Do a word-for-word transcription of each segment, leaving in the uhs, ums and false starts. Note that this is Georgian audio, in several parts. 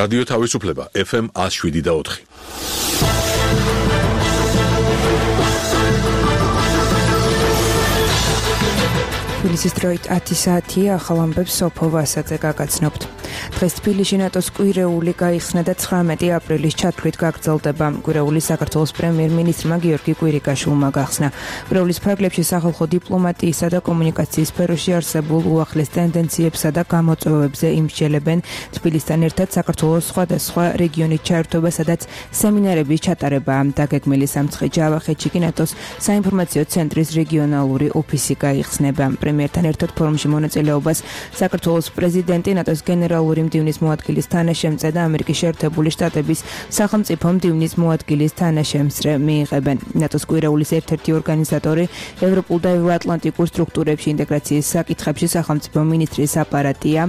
რადიო თავისუფლება ეფ ემ one oh seven და four. თბილისის დროით ათი საათია, ახალ ამბებს სოფო ვასაძე გაგაცნობთ. დღეს თბილისში ნატოს კვირეული გაიხსნა და ცხრამეტი აპრილის ჩათვლით გაგრძელდება. კვირეული საქართველოს პრემიერ-მინისტრმა გიორგი კვირიკაშვილმა გახსნა. კვირეულის ფარგლებში სახალხო დიპლომატიისა და კომუნიკაციის სფეროში არსებულ უახლეს ტენდენციებსა და გამოწვევებზე იმსჯელებენ. თბილისთან ერთად საქართველოს სხვადასხვა რეგიონით ჩაერთვება, სადაც სემინარების ჩატარებაა. დაგეგმილი სამცხე ჯავახეთში კი ნატოს საინფორმაციო ცენტრის რეგიონალური ოფისი გაიხსნება. პრემიერთან ერთად ფორუმში მონაწილეობას საქართველოს პრეზიდენტი, ნატოს გენერალური მდივნის მოადგილის თანაშემწე და ამერიკის შეერთებული შტატების სახელმწიფო მდივნის მოადგილის თანაშემწე მიიღებენ. ნატოს კვირეულის ერთ-ერთი ორგანიზატორი ევროპულ და ევროატლანტიკურ სტრუქტურებში ინტეგრაციის საკითხებში სახელმწიფო მინისტრის აპარატია.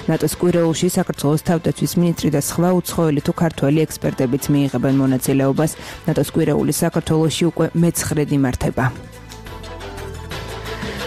ნატოს კვირეულში საქართველოს თავდაცვის მინისტრი და სხვა უცხოელი თუ ქართველი ექსპერტებიც მიიღებენ მონაწილეობას. ნატოს კვირეული საქართველოში უკვე მეცხრედ იმართება.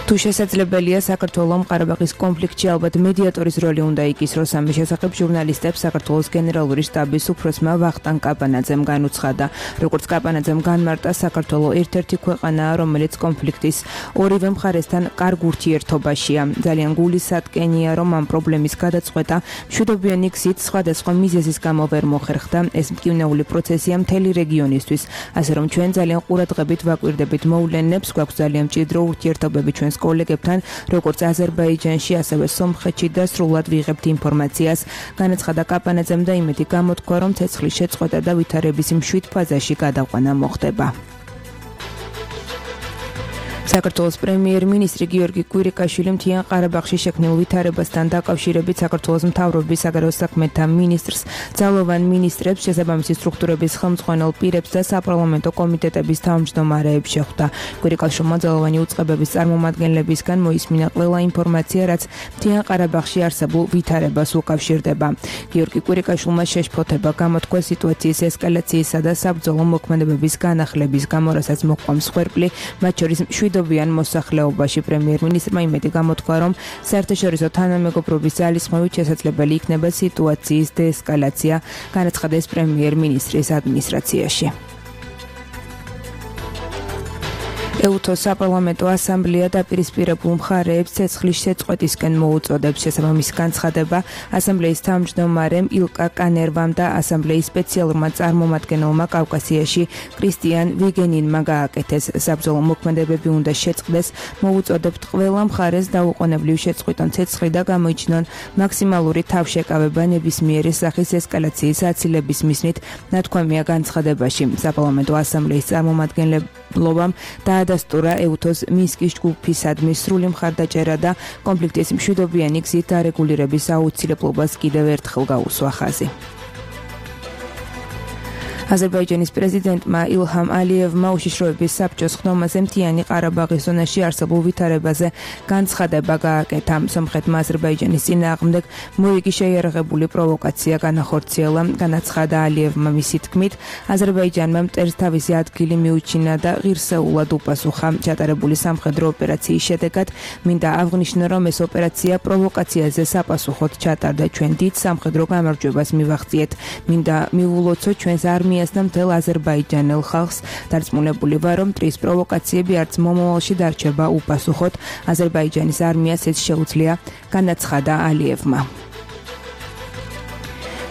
თუ შესაძლებელია საქართველოს ყარაბაღის კონფლიქტში ალბათ მედიატორის როლი უნდა იკისროს, ამის შესახებ ჟურნალისტებს საქართველოს გენერალური შტაბის უფროსმა ვახტანგ კაპანაძემ განუცხადა. როგორც კაპანაძემ განმარტა, საქართველოს ერთ-ერთი ქვეყანაა, რომელიც კონფლიქტის ორივე მხარესთან კარგ ურთიერთობაშია. ძალიან გულისატკენია, რომ ამ პრობლემის გადაწყვეტა მშვიდობიანი გზით სხვადასხვა მიზეზის გამო ვერ მოხერხდა. ეს მტკივნეული პროცესია მთელი რეგიონისთვის, ასე რომ ჩვენ ძალიან ყურადღებით ვაკვირდებით მოვლენებს, გვაქვს ძალიან მჭიდრო ურთიერთობები ჩვენ კოლეგებთან, როგორც აზერბაიჯანში, ასევე სომხეთში და სრულად ვიღებთ ინფორმაციას. განაცხადა კაპანაძემ და იმედი გამოთქვა, რომ ცეცხლის შეწყვეტა და ვითარების მშვიდ ფაზაში გადაყვანა მოხდება. საქართველოს პრემიერ-მინისტრი გიორგი კვირიკაშვილი მთიან ყარაბაღში შექმნილ ვითარებასთან დაკავშირებით საქართველოს მთავრობის საგარეო საქმეთა მინისტრს, ძალოვან მინისტრებს, შესაბამისი სტრუქტურების ხელმძღვანელ პირებს და საპარლამენტო კომიტეტების თავმჯდომარეებს შეხვდა. კვირიკაშვილმა ძალოვანი უწყებების წარმომადგენლებისგან მოისმინა ყველა ინფორმაცია, რაც მთიან ყარაბაღში არსებულ ვითარებას უკავშირდება. გიორგი კვირიკაშვილმა შეშფოთება გამოთქვა სიტუაციის ესკალაციისა და საბრძოლო მოქმედებების განახლების გამო, რასაც მოჰყვა მსხვერპლი, მათ შორის მშვიდობიან მოსახლეობაში. პრემიერ-მინისტრმა იმედი გამოთქვა, რომ საერთაშორისო თანამეგობრობის ძალისხმევით შესაძლებელი იქნება სიტუაციის დეესკალაცია, განაცხადა ეს პრემიერ-მინისტრის ადმინისტრაციაში. ეუთოს საპარლამენტო ასამბლეა დაპირისპირებულ მხარეებს ცეცხლის შეწყვეტისკენ მოუწოდებს. შესაბამის განცხადება ასამბლეის თავმჯდომარემ ილკა კანერვამ და ასამბლეის სპეციალურმა წარმომადგენელმა კავკასიაში კრისტიან ვიგენინმა გააკეთეს. საბრძოლო მოქმედებები უნდა შეწყდეს, მოუწოდებთ ყველა მხარეს დაუყოვნებლივ შეწყვიტონ ცეცხლი და გამოიჩინონ მაქსიმალური თავშეკავება ნებისმიერი სახის ესკალაციის აცილების მიზნით, ნათქვამია განცხადებაში. საპარლამენტო ასამბლეის წარმომადგენლობამ დაადასტურა ეუთოს მინსკის ჯგუფისადმი სრული მხარდაჭერა და კონფლიქტის მშვიდობიანი გზით დარეგულირების აუცილებლობას კიდევ ერთხელ გაუსვა ხაზი. აზერბაიჯანის პრეზიდენტმა ილჰამ ალიევმა უშიშროების საბჭოს ხდომაზე მთიანი ყარაბაღის ზონაში არსებულ ვითარებაზე განცხადება გააკეთა. სომხეთმა აზერბაიჯანის წინააღმდეგ მოიგი შეიარაღებული პროვოკაცია განახორციელა. განაცხადა ალიევმა მისი თქმით, აზერბაიჯანმა მტერს თავისი ადგილი მიუჩინა და ღირსეულად უპასუხა. ჩატარებული სამხედრო ოპერაციის შედეგად მინდა აღნიშნო, რომ ეს ოპერაცია პროვოკაციაზე საპასუხოდ ჩატარდა. ჩვენ დიდ სამხედრო გამარჯვებას მივაღწიეთ. მინდა მივულოცოთ ჩვენს არმიას და მთელ აზერბაიჯანელ ხალხს. დარწმუნებული ვარ, რომ მტრის პროვოკაციები არც მომავალში დარჩება უპასუხოდ. აზერბაიჯანის არმიას ეს შეუძლია, განაცხადა ალიევმა.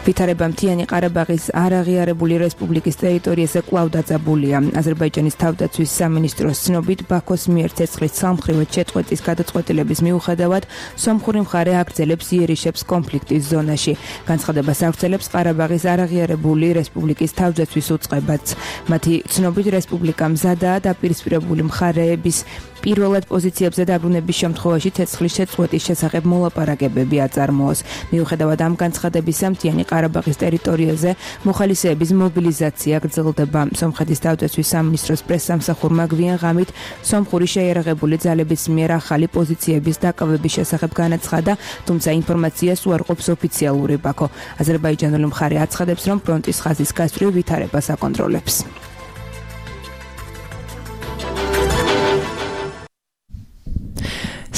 ვითარება მთიანი ყარაბაღის არაღიარებული რესპუბლიკის ტერიტორიაზე კვლავ დაძაბულია. აზერბაიჯანის თავდაცვის სამინისტროს ცნობით, ბაქოს მიერ ცეცხლის სამხრივად შეწყვეტის გადაწყვეტილების მიუხედავად, სომხური მხარე აგრძელებს იერიშებს კონფლიქტის ზონაში. განცხადებას აგრძელებს ყარაბაღის არაღიარებული რესპუბლიკის თავდაცვის უწყებაც. მათი ცნობით, რესპუბლიკა მზადაა დაპირისპირებული მხარეების პირველად პოზიციებზე დაბრუნების შემთხვევაში ცეცხლის შეწყვეტის შესახებ მოლაპარაკებები აწარმოოს. მიუხედავად ამ განცხადებისა, მთიანი ყარაბაღის ტერიტორიაზე მოხალისეების მობილიზაცია გრძელდება. სომხეთის თავდაცვის სამინისტროს პრესსამსახურმა გვიან ღამით სომხური შეიარაღებული ძალების მიერ ახალი პოზიციების დაკავების შესახებ განაცხადა, თუმცა ინფორმაციას უარყოფს ოფიციალური ბაქო. აზერბაიჯანული მხარე აცხადებს, რომ ფრონტის ხაზის გასწვრივ ვითარებას აკონტროლებს.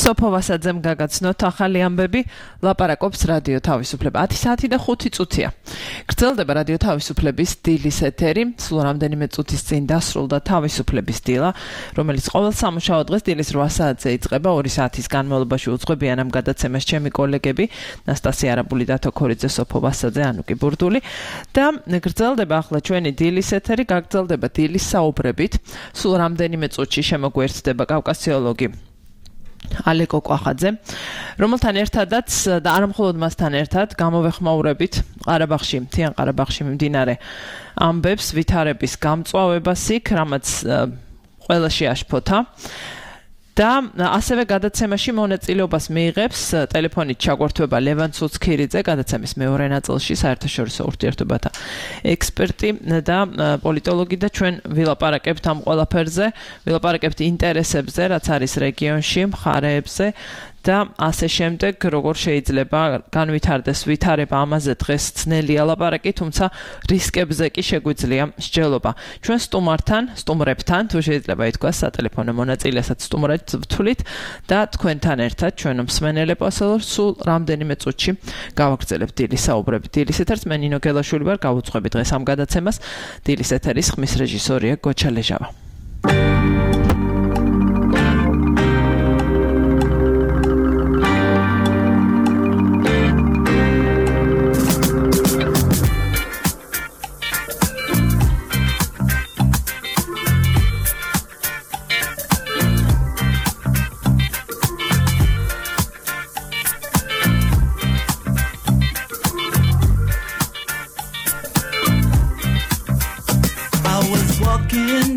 სოფო ვასაძემ გაგაცნოთ ახალი ამბები, ლაპარაკობს რადიო თავისუფლება. ათი საათი და ხუთი წუთია. გრძელდება რადიო თავისუფლების დილის ეთერი, სულ რამდენიმე წუთის წინ დასრულდა თავისუფლების დილა, რომელიც ყოველ სამუშაო დღეს დილის რვა საათზე იწყება, ორი საათის განმავლობაში უძღვებიან ამ გადაცემას ჩემი კოლეგები, ნასტასია არაბული, დათო ქორიძე, სოფო ვასაძე, ანუკი ბურდული და გრძელდება ახლა ჩვენი დილის ეთერი, გაგრძელდება დილის საუბრებით, სულ რამდენიმე წუთში შემოგვერდება კავკასიოლოგი ალეკო კვახაძე, რომელთან ერთადაც და არა მხოლოდ მასთან ერთად გამოვეხმაურებით ყარაბაღში, მთიან ყარაბაღში მიმდინარე ამბებს, ვითარების გამწვავებას იქ, რამაც ყველა შეაშფოთა. და ასევე გადაცემაში მონაწილეობას მიიღებს ტელეფონით ჩაგვართვება ლევან ცუცქირიძე, გადაცემის მეორე ნაწილში საერთაშორისო ურთიერთობათა ექსპერტი და პოლიტოლოგი და ჩვენ ვილაპარაკებთ ამ ყველაფერზე, ვილაპარაკებთ ინტერესებზე, რაც არის რეგიონში, მხარეებზე და ასე შემდეგ, როგორ შეიძლება განვითარდეს ვითარება, ამაზე დღეს ძნელია ლაპარაკი, თუმცა რისკებზე კი შეგვიძლია მსჯელობა. ჩვენ სტუმართან, სტუმრებთან, თუ შეიძლება ითქვას, სატელეფონო მონაწილესაც სტუმრად ვთვლით და თქვენთან ერთად ჩვენ მსმენელებს სულ რამდენიმე წუთში გავაგრძელებთ დილის საუბრები. დილის ეთერს მე ნინო გელაშვილი ვარ, გავუძღვები დღეს ამ გადაცემას. დილის ეთერის ხმის რეჟისორია გოჩა ლეჟავა.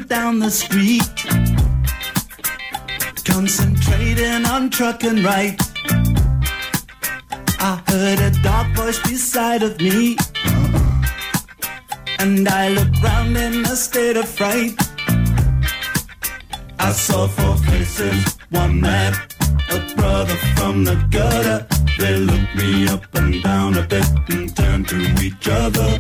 Down the street, concentrating on truck and right. I heard a dark voice beside of me, and I looked round in a state of fright. I saw four faces, one mad, a brother from the gutter. They looked me up and down a bit and turned to each other.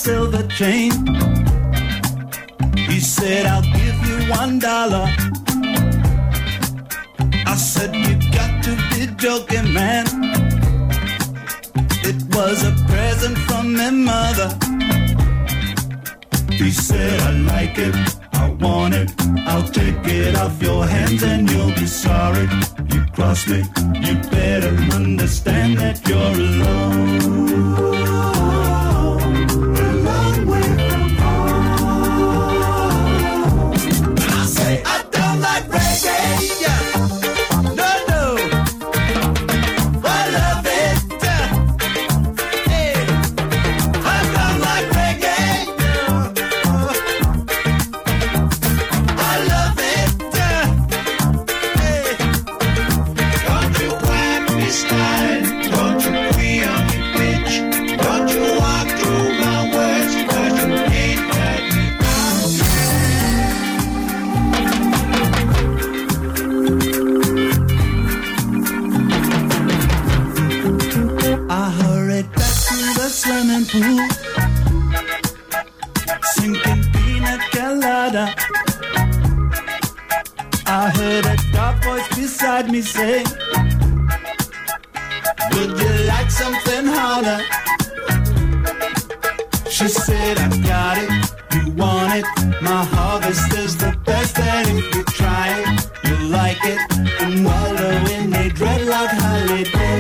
Silver chain. He said, I'll give you one dollar. I said, you got to be joking, man. It was a present from my mother. He said, I like it, I want it. I'll take it off your hands and you'll be sorry. You cross me, you better understand that you're alone. Sinking pina colada. I heard a dark voice beside me say, would you like something harder? She said, I got it, you want it. My harvest is the best, and if you try it, you'll like it. And wallow in a dreadlock holiday.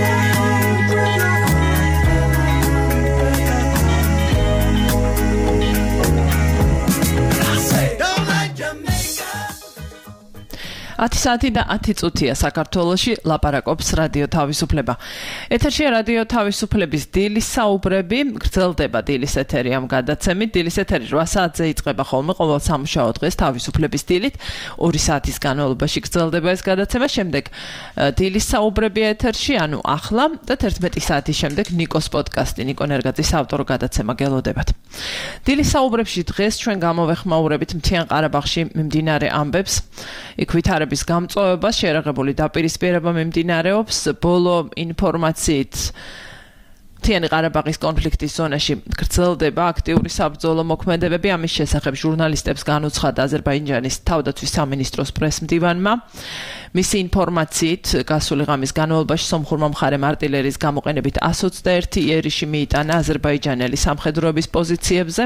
ათი საათი და ათი წუთია საქართველოში ლაპარაკობს რადიო თავისუფლება. ეთერშია რადიო თავისუფლების დილის საუბრები, გრძელდება დილის ეთერი ამ გადაცემით. დილის ეთერი რვა საათზე იწყება ხოლმე ყოველ სამუშაო დღეს თავისუფლების დილით. ორი საათის განმავლობაში გრძელდება ეს გადაცემა, შემდეგ დილის საუბრები ეთერში, ანუ ახლა და თერთმეტი საათის შემდეგ ნიკოს პოდკასტი, ნიკო ნერგაძის ავტორ გადაცემა გელოდებათ. დილის საუბრებში დღეს ჩვენ გამოვეხმაურებით მთიან ყარაბაღში მიმდინარე ამბებს. იქ ვითარების გამწვავება, შეერაღებული დაპირისპირება მიმდინარეობს, ბოლო ინფორმაციით მთიანი ყარაბაღის კონფლიქტის ზონაში გრძელდება აქტიური საბრძოლო მოქმედებები. ამის შესახებ ჟურნალისტებს განუცხადა აზერბაიჯანის თავდაცვის სამინისტროს პრესმდივანმა. მისი ინფორმაციით გასული ღამის განმავლობაში სომხურმა მხარემ არტილერიის გამოყენებით εκατს ოცდაერთი იერიში მიიტანა აზერბაიჯანელი სამხედროების პოზიციებზე,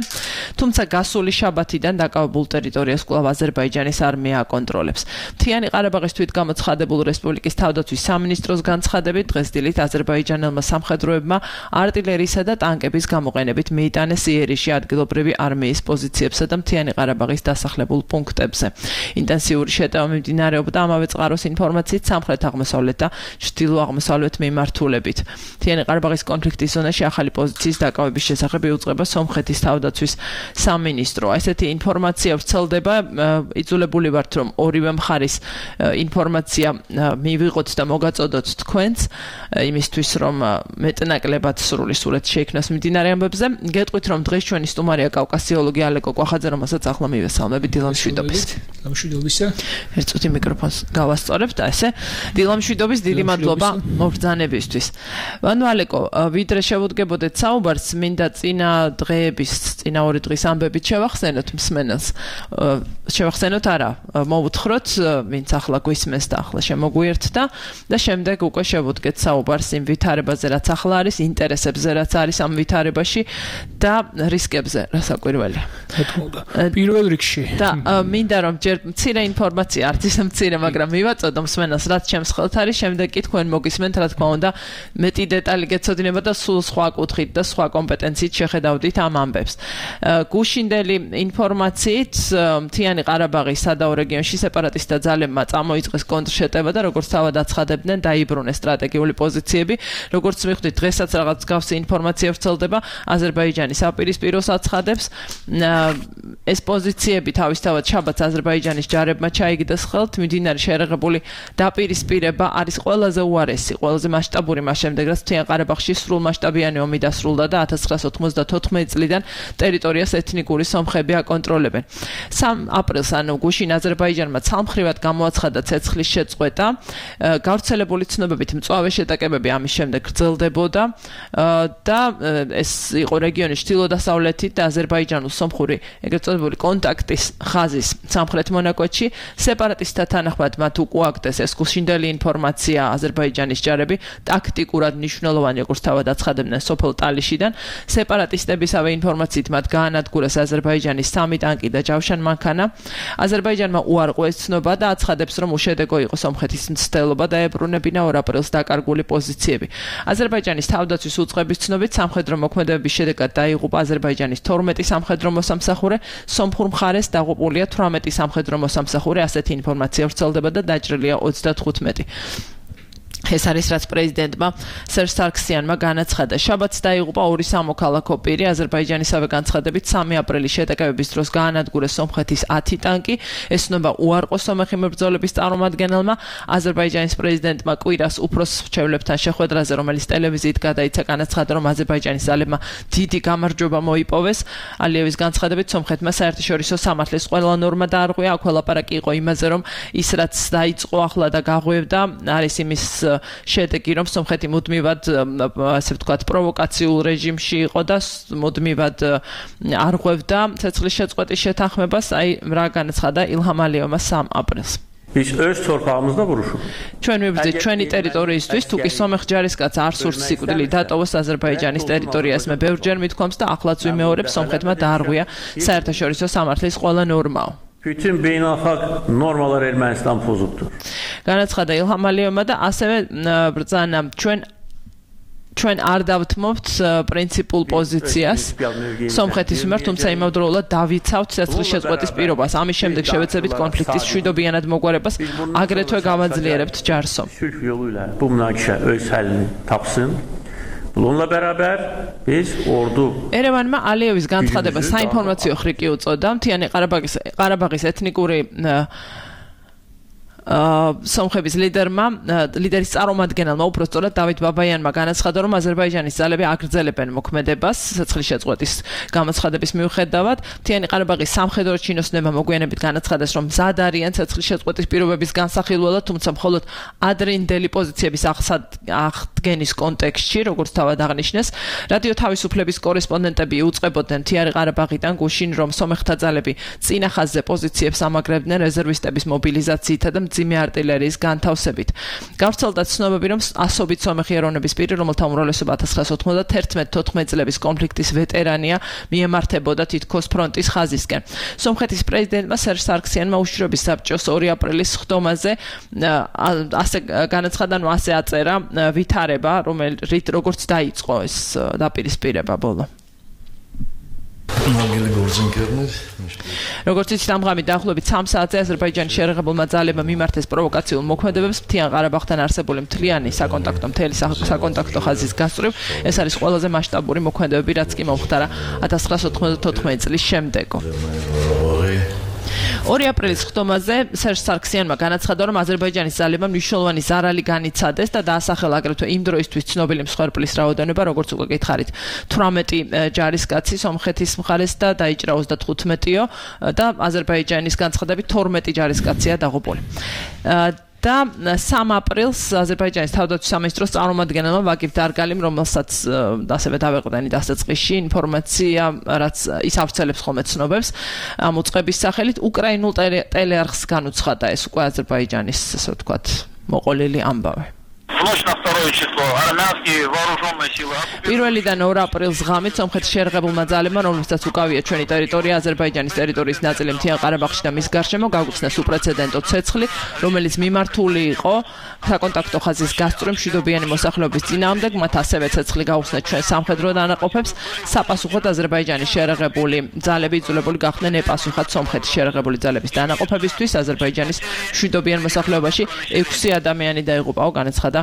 თუმცა გასული შაბათიდან დაკავებულ ტერიტორიას კვლავ აზერბაიჯანის არმია აკონტროლებს. მთიანი ყარაბაღის თვითგამოცხადებულ რესპუბლიკის თავდაცვის სამინისტროს განცხადებით, დღეს დილით აზერბაიჯანელმა სამხედროებმა არტილერიისა და ტანკების გამოყენებით მიიტანეს იერიში ადგილობრივი არმიის პოზიციებსა და მთიანი ყარაბაღის დასახლებულ პუნქტებზე. ინტენსიური შეტევა მიმდინარეობდა ამავე წყაროს ინფორმაციით სამხრეთ-აღმოსავლეთ და ჩრდილო-აღმოსავლეთ მიმართულებით. მთიანი ყარაბაღის კონფლიქტის ზონაში ახალი პოზიციის დაკავების შესახებ იუწყება სომხეთის თავდაცვის სამინისტრო. ესეთი ინფორმაცია ვრცელდება, იძულებული ვართ, რომ ორივე მხარის ინფორმაცია მივიღოთ და მოგაწოდოთ თქვენს, იმისთვის რომ მეტნაკლებად სრული სურათი შეიქმნას მიმდინარე ამბებზე. გეტყვით, რომ დღეს ჩვენი სტუმარია კავკასიოლოგი ალეკო კვახაძე, რომელსაც ახლა მივესალმები დილამშვიდობის. დილამშვიდობისა. ერთ წუთი მიკროფონს გავასწორებ და ესე დილამშვიდობის დიდი მადლობა მობრძანებისთვის. ანუ ალეკო, ვიდრე შევუდგებოდეთ საუბარს, მინდა წინა დღეების, წინა ორი დღის ამბებით შევახსენოთ მსმენელს. შევახსენოთ არა, მოვუთხროთ, ვინც ახლა გვისმენს და ახლა შემოგვიერთდა და შემდეგ უკვე შევუდგეთ საუბარს იმ ვითარებაზე, რაც ახლა არის, ინტერესებზე, რაც არის ამ ვითარებაში და რისკებზე, რასაკვირველია. პირველ რიგში. და მინდა რომ ჯერ მცირე ინფორმაცია, არც ისე მცირე, მაგრამ მივაწოდო მსმენელს, რაც ჩემს ხელთ არის, შემდეგ კი თქვენ მოგისმენთ, რა თქმა უნდა, მეტი დეტალი გეცოდინება და სულ სხვა კუთხით და სხვა კომპეტენციით შეხედავდით ამ ამბებს. გუშინდელი ინფორმაციით, მთიანი ყარაბაღის სადაო რეგიონში სეპარატისტთა ძალებმა წამოიწყეს კონტრშეტევა და როგორც თავად აცხადებდნენ, დაიბრუნეს სტრატეგიული პოზიციები. როგორც მივხვდით, დღესაც რაღაც გავსი ინფორმაცია ვრცელდება, აზერბაიჯანის აპირისპიროს აცხადებს. ეს პოზიციები თავისთავად შაბათს აზერბაიჯანის ჯარებმა ჩაიგდეს ხელთ. მიმდინარე შეერაღებული დაპირისპირება არის ყველაზე უარესი, ყველაზე მასშტაბური მას შემდეგ, რაც მთიან ყარაბაღში სრულმასშტაბიანი ომი დასრულდა და ათას ცხრაას ოთხმოცდათოთხმეტი წლიდან ტერიტორიას ეთნიკური სომხები აკონტროლებენ. სამი აპრილს, ანუ გუშინ აზერბაიჯანმა ცალმხრივად გამოაცხადა ცეცხლის შეწყვეტა. გავრცელებული ცნობებით მწვავე შეტაკებები ამის შემდეგ გრძელდებოდა და ეს იყო რეგიონის ჩრდილო-დასავლეთით და აზერბაიჯანულ-სომხური ეგრეთ წოდებული კონტაქტის ხაზის სამხრეთ მონაკვეთში. სეპარატისტთა თანახმად მათ უკუაგდეს ეს გუშინდელი ინფორმაცია, აზერბაიჯანის ჯარები ტაქტიკურად მნიშვნელოვანი, როგორც თავად აცხადებდნენ, სოფელ ტალიშიდან. სეპარატისტებისავე ინფორმაციით მათ გაანადგურეს აზერბაიჯანის სამი ტანკი და ჯავშან მანქანა. აზერბაიჯანმა უარყო ეს ცნობა და აცხადებს, რომ უშედეგო იყო სომხეთის მცდელობა და ებრუნებინა ორ აპრილს დაკარგული პოზიციები. აზერბაიჯანის თავდაცვის უწყების ცნობით სამხედრო მოქმედებების შედეგად დაიღუპა აზერბაიჯანის თორმეტი სამხედრო მოსამსახურე, სომხურ მხარეს დაღუპულია თვრამეტი სამხედრო მოსამსახურე, ასეთი ინფორმაცია ვრცელდება და დაჭრილია ოცდათხუთმეტი. ეს არის რაც პრეზიდენტმა სერჟ სარქსიანმა განაცხადა. შაბათს დაიღუპა ორი სამოქალაქო პირი. აზერბაიჯანისავე განცხადებით სამი აპრილის შეტაკებების დროს გაანადგურეს სომხეთის ათი ტანკი. ეს ცნობა უარყო სომეხი მებრძოლების წარმომადგენელმა. აზერბაიჯანის პრეზიდენტმა კვირას უფროს მრჩევლებთან შეხვედრაზე, რომელიც ტელევიზიით გადაიცა, განაცხადა, რომ აზერბაიჯანის ძალებმა დიდი გამარჯვება მოიპოვეს. ალიევის განცხადებით, სომხეთმა საერთაშორისო სამართლის ყველა ნორმა დაარღვია. აქ ლაპარაკი იყო იმაზე, რომ ის რაც დაიწყო ახლა და გაღვევდა, არის იმის შედეგი, რომ სომხეთი მუდმივად, ასე ვთქვათ, პროვოკაციულ რეჟიმში იყო და მუდმივად არღვევდა ცეცხლის შეწყვეტის შეთანხმებას. აი, რა განაცხადა ილჰამ ალიევმა სამი აპრილს. Biz öz torpağımızda vuruşuq. ჩვენ მივბრძით ჩვენი ტერიტორიისთვის, თუ კი სომეხ ჯარისკაც არ სურს სიკვდილი დატოვოს აზერბაიჯანის ტერიტორიას, მე ბევრჯერ მithქვამს და ახლაც ვიმეორებ, სომხეთმა დაარღვია საერთაშორისო სამართლის ყველა ნორმაო. Bütün beynəlxalq normalar Ermənistan pozubdur. განაცხადა ილჰამ ალიევმა და ასევე ბრძანა ჩვენ ჩვენ არ დავთმობთ პრინციპულ პოზიციას სომხეთის მიმართ, თუმცა იმავდროულად დავიცავთ ცეცხლის შეწყვეტის პირობას. ამის შემდეგ შევეცდებით konfliktis მშვიდობიანად მოგვარებას, აგრეთვე გავაძლიერებთ ჯარსო. Bu münaqişə öz həllini tapsın. Bununla beraber biz ordu ერევანმა ალიევის განცხადება საინფორმაციო ხრიკი უწოდა. მთიანი ყარაბაღის ყარაბაღის ეთნიკური სომხების ლიდერმა ლიდერის წარმომადგენელმა უпростоრად დავით ბაბაიანმა განაცხადა, რომ აზერბაიჯანის ძალები აგრძელებენ მოქმედებას ცეცხლის შეწყვეტის გამოცხადების მიუხედავად. მთიანი ყარაბაღის სამხედრო ჩინოსნებმა მოგვიანებით განაცხადეს, რომ მზად არიან ცეცხლის შეწყვეტის პირობების განსახილველად, თუმცა მხოლოდ ადრინდელი პოზიციების აღდგენის კონტექსტში, როგორც თავად აღნიშნეს. რადიო თავისუფლების კორესპონდენტები უწყებოდნენ მთიანი ყარაბაღიდან გუშინ, რომ სომეხთა ძალები წინა ხაზზე პოზიციებს ამაგრებდნენ რეზერვისტების მობილიზაციითა და მძიმე არტილერიის განთავსებით. გავრცელდა ცნობები, რომ ასობით სომეხი ეროვნების პირი, რომელთა უმრავლესობა ათას ცხრაასა ოთხმოცდათერთმეტ თოთხმეტ წლების კონფლიქტის ვეტერანია, მიემართებოდა თითქოს ფრონტის ხაზისკენ. სომხეთის პრეზიდენტმა სერჟ სარქსიანმა უშიშროების საბჭოს ორი აპრილის ხდომაზე ასე განაცხადა, რომ ასე აწერა ვითარება, რომელიც როგორც დაიწყო ეს დაპირისპირება ბოლო. როგორც იცით, ამ ღამით დაახლოებით სამ საათზე აზერბაიჯანის შეერაღებულმა ძალებმა მიმართეს პროვოკაციულ მოქმედებებს მთიან ყარაბაღთან არსებული მთლიანი საკონტაქტო მთელი საკონტაქტო ხაზის გასწვრივ. ეს არის ყველაზე მასშტაბური მოქმედებები, რაც კი მომხდარა ათას ცხრაასა ოთხმოცდათოთხმეტ წლის შემდეგო. ორი აპრილის ხდომაზე სერჟ სარქსიანმა განაცხადა, რომ აზერბაიჯანის ძალებმა მნიშვნელოვანი ზარალი განიცადეს და დაასახელა აგრეთვე იმ დროისთვის ცნობილი მსხვერპლის რაოდენობა, როგორც უკვე გითხარით, თვრამეტი ჯარისკაცი სომხეთის მხარეს და დაიჭრა ოცდათხუთმეტიო და აზერბაიჯანის განცხადებით თორმეტი ჯარისკაცია დაღუპული. და სამ აპრილს აზერბაიჯანის თავდაცვის სამინისტროს წარმომადგენელმა ვაგიფ დარგალიმ, რომელსაც ასევე დავეყრდენით დასაწყისში ინფორმაცია, რაც ის ავრცელებს ხოლმე ცნობებს ამ უწყების სახელით, უკრაინულ ტელეარხს განუცხადა ეს უკვე აზერბაიჯანის, ასე ვთქვათ, მოყოლილი ამბავი. პირველიდან ორ აპრილს ღამით სომხეთის შეერაღებულმა ძალებმა, რომლებსაც უკავია ჩვენი ტერიტორია, აზერბაიჯანის ტერიტორიის ნაწილი მთიან ყარაბაღში და მის გარშემო, გაგუხსნეს უპრეცედენტო ცეცხლი, რომელიც მიმართული იყო საკონტაქტო ხაზის გასწვრივ მშვიდობიანი მოსახლეობის წინააღმდეგ. მათ ასევე ცეცხლი გაუხსნეს ჩვენ სამხედრო დანაყოფებს. საპასუხოდ აზერბაიჯანის შეერაღებული ძალები იძულებული გახდნენ ეპასუხათ სომხეთის შეერაღებული ძალების დანაყოფებისთვის. აზერბაიჯანის მშვიდობიან მოსახლეობაში ექვსი ადამიანი დაიღუპაო, განაცხადა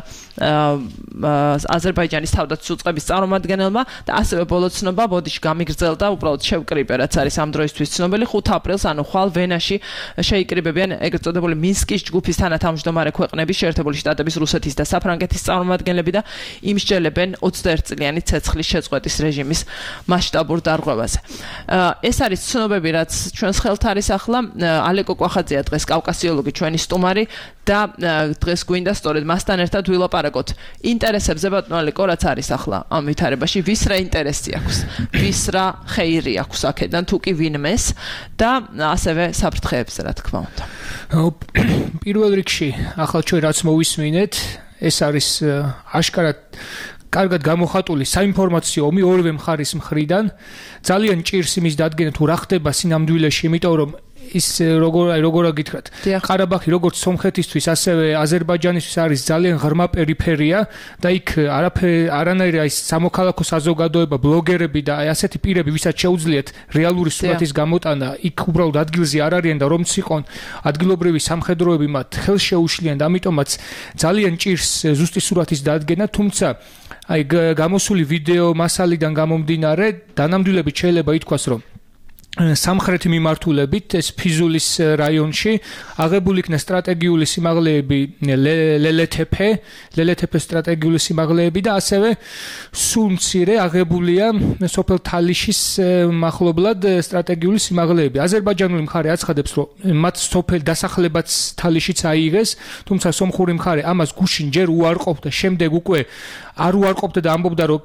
აზერბაიჯანის თავდაცვის უწყების წარმომადგენელმა და ასევე ბოლო ცნობა ბოდიში გამიგრძელდა, უბრალოდ შევკრიბე, რაც არის ამ დროისთვის ცნობილი. ხუთ აპრილს, ანუ ხვალ ვენაში შეიკრიბებიან ეგრეთ წოდებული მინსკის ჯგუფის თანათავმჯდომარე ქვეყნების, შეერთებული შტატების, რუსეთის და საფრანგეთის წარმომადგენლები და იმსჯელებენ ოცდაერთი წლიანი ცეცხლის შეწყვეტის რეჟიმის მასშტაბურ დარღვევაზე. ეს არის ცნობები, რაც ჩვენს ხელთ არის ახლა. ალეკო კვახაძეა დღეს კავკასიოლოგი ჩვენი სტუმარი და დღეს გვინდა სწორედ მასთან ერთად ვილაპარაკოთ ინტერესებზე, ბატონო ალეკო, რაც არის ახლა ამ ვითარებაში, ვის რა ინტერესი აქვს, ვის რა ხეირი აქვს აქედან, თუ კი ვინმეს და ასევე საფრთხეებზე, რა თქმა უნდა. პირველ რიგში, ახლა ჩვენ რაც მოვისმინეთ, ეს არის აშკარად კარგად გამოხატული საინფორმაციო ომი ორივე მხარის მხრიდან. ძალიან ჭირს იმის დადგენა, თუ რა ხდება სინამდვილეში, იმიტომ რომ ის როგორ როგორა გითხრათ, ყარაბაღი როგორც სომხეთისთვის, ასევე აზერბაიჯანისთვის არის ძალიან ღრმა პერიფერია და იქ არანაირი ის სამოქალაქო საზოგადოება, ბლოგერები და ასეთი პირები, ვისაც შეუძლიათ რეალური სურათის გამოტანა, იქ უბრალოდ ადგილზე არ არიან და რომც იყონ ადგილობრივი სამხედროები მათ ხელს შეუშლიან და ამიტომაც ძალიან ჭირს ზუსტი სურათის დადგენა, თუმცა აი გამოსული ვიდეო მასალიდან გამომდინარე, დანამდვილებით შეიძლება ითქვას, რომ სამხრეთი მიმართულებით ეს ფიზულის რაიონში აღებული იქნა სტრატეგიული სიმაღლეები ლელეთეფე, ლელეთეფეს სტრატეგიული სიმაღლეები და ასევე სულ მცირე აღებულია სოფელ თალიშის მახლობლად სტრატეგიული სიმაღლეები. აზერბაიჯანული მხარე აცხადებს, რომ მათ სოფელ დასახლებაც თალიშიც აიღეს, თუმცა სომხური მხარე ამას გუშინ ჯერ უარყოფდა, შემდეგ უკვე არ უარყოფდა და ამბობდა, რომ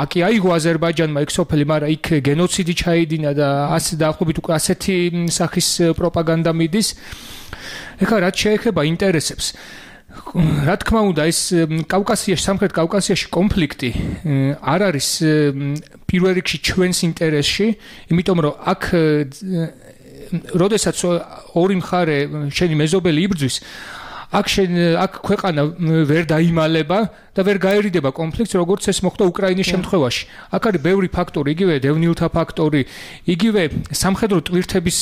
აკი აიღო აზერბაიჯანმა ეგ სოფელი, მაგრამ იქ გენოციდი ჩაიდინა და ასე დაახლოებით უკვე ასეთი სახის პროპაგანდა მიდის. ეხლა რაც შეეხება ინტერესებს, რა თქმა უნდა, ეს კავკასიაში, სამხრეთ კავკასიაში კონფლიქტი არ არის პირველ რიგში ჩვენს ინტერესში, იმიტომ რომ აქ როდესაც ორი მხარე შენი მეზობელი იბრძვის, აქ შენ აქ ქვეყანა ვერ დაიმალება და ვერ გაერიდება კონფლიქტს, როგორც ეს მოხდა უკრაინის შემთხვევაში. აქ არის ბევრი ფაქტორი, იგივე დევნილთა ფაქტორი, იგივე სამხედრო ტვირთების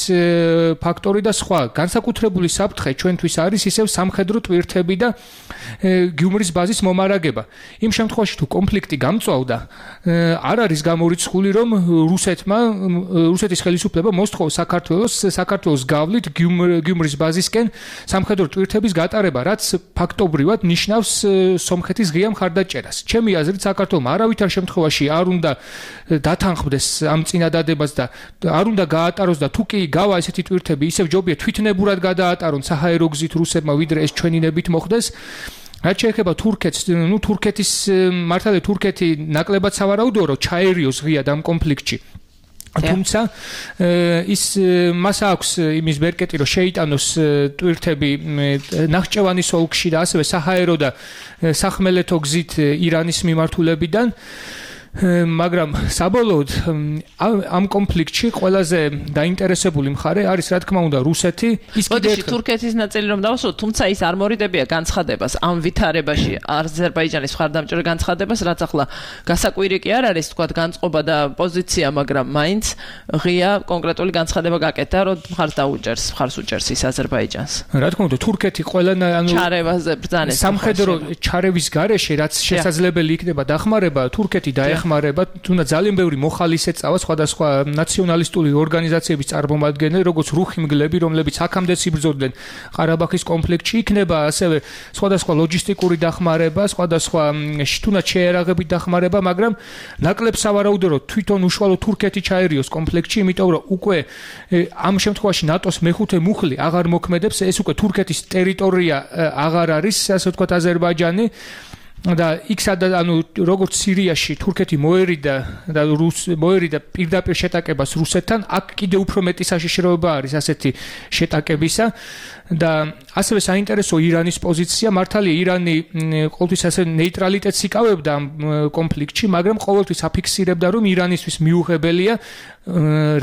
ფაქტორი და სხვა. განსაკუთრებული საფრთხე ჩვენთვის არის ისევ სამხედრო ტვირთები და გიუმრის ბაზის მომარაგება. იმ შემთხვევაში თუ კონფლიქტი გამწვავდა, არ არის გამორიცხული, რომ რუსეთმა, რუსეთის ხელისუფლება მოსთხოვს საქართველოს, საქართველოს გავლით გიუმრის ბაზისკენ სამხედრო ტვირთების გატარება, რაც ფაქტობრივად ნიშნავს სომხეთის ღია მხარდაჭერას. ჩემი აზრით, საქართველოს არავითარ შემთხვევაში არ უნდა დათანხმდეს ამ წინადადებას და არ უნდა გაატაროს და თუ კი გავა ესეთი ტვირთები, ისევ ჯობია თვითნებურად გადაატარონ საჰაერო გზით რუსებმა, ვიდრე ეს ჩვენინებით მოხდეს. რაც შეეხება თურქეთს, ნუ თურქეთის მართალია თურქეთი ნაკლებად სავარაუდოა, რომ ჩაერიოს ღიად ამ კონფლიქტში. თუმცა ის მას აქვს იმის ბერკეტი, რომ შეიტანოს ტვირთები ნახჭევანის ოლქში და ასევე საჰაერო და სახმელეთო გზით ირანის მიმართულებიდან. მაგრამ საბოლოოდ ამ კონფლიქტში ყველაზე დაინტერესებული მხარე არის რა თქმა უნდა რუსეთი. ის კიდევ თურქეთის ნაწილი რომ დავასრულოთ, თუმცა ის არ მორიდებია განცხადებას ამ ვითარებაში აზერბაიჯანის მხარდამჭერ განცხადებას, რაც ახლა გასაკვირი კი არ არის, თქვა განწყობა და პოზიცია, მაგრამ მაინც ღია კონკრეტული განცხადება გაკეთა, რომ მხარს დაუჭერს, მხარს უჭერს ის აზერბაიჯანს. რა თქმა უნდა თურქეთი ყველა ანუ ჩარევაზე ბრძანეს სამხედრო ჩარევის გარეშე, რაც შესაძლებელი იქნება დახმარება, თურქეთი დაეხმარება ხმარება, თუნდაც ძალიან ბევრი მოხალისე წავა სხვადასხვა ნაციონალისტური ორგანიზაციების წარმომადგენლები, როგორც რუხიმგლები, რომლებიც აქამდე იბრძოდნენ ყარაბაღის კონფლიქტში, იქნება ასევე სხვადასხვა ლოჯისტიკური დახმარება, სხვადასხვა თუნდაც შეერაღებით დახმარება, მაგრამ ნაკლებ სავარაუდოა, რომ თვითონ უშუალო თურქეთი ჩაერიოს კონფლიქტში, იმიტომ რომ უკვე ამ შემთხვევაში ნატოს მეხუთე მუხლი აღარ მოქმედებს, ეს უკვე თურქეთის ტერიტორია აღარ არის, ასე ვთქვათ, აზერბაიჯანი. და იქ სადაც ანუ როგორც სირიაში თურქეთი მოერიდა და რუს მოერიდა პირდაპირ შეტაკებას რუსეთთან, აქ კიდევ უფრო მეტი საშიშროება არის ასეთი შეტაკებისა და ასევე საინტერესო ირანის პოზიცია. მართალია ირანი ყოველთვის ასე ნეიტრალიტეტს იკავებდა ამ კონფლიქტში, მაგრამ ყოველთვის აფიქსირებდა, რომ ირანისთვის მიუღებელია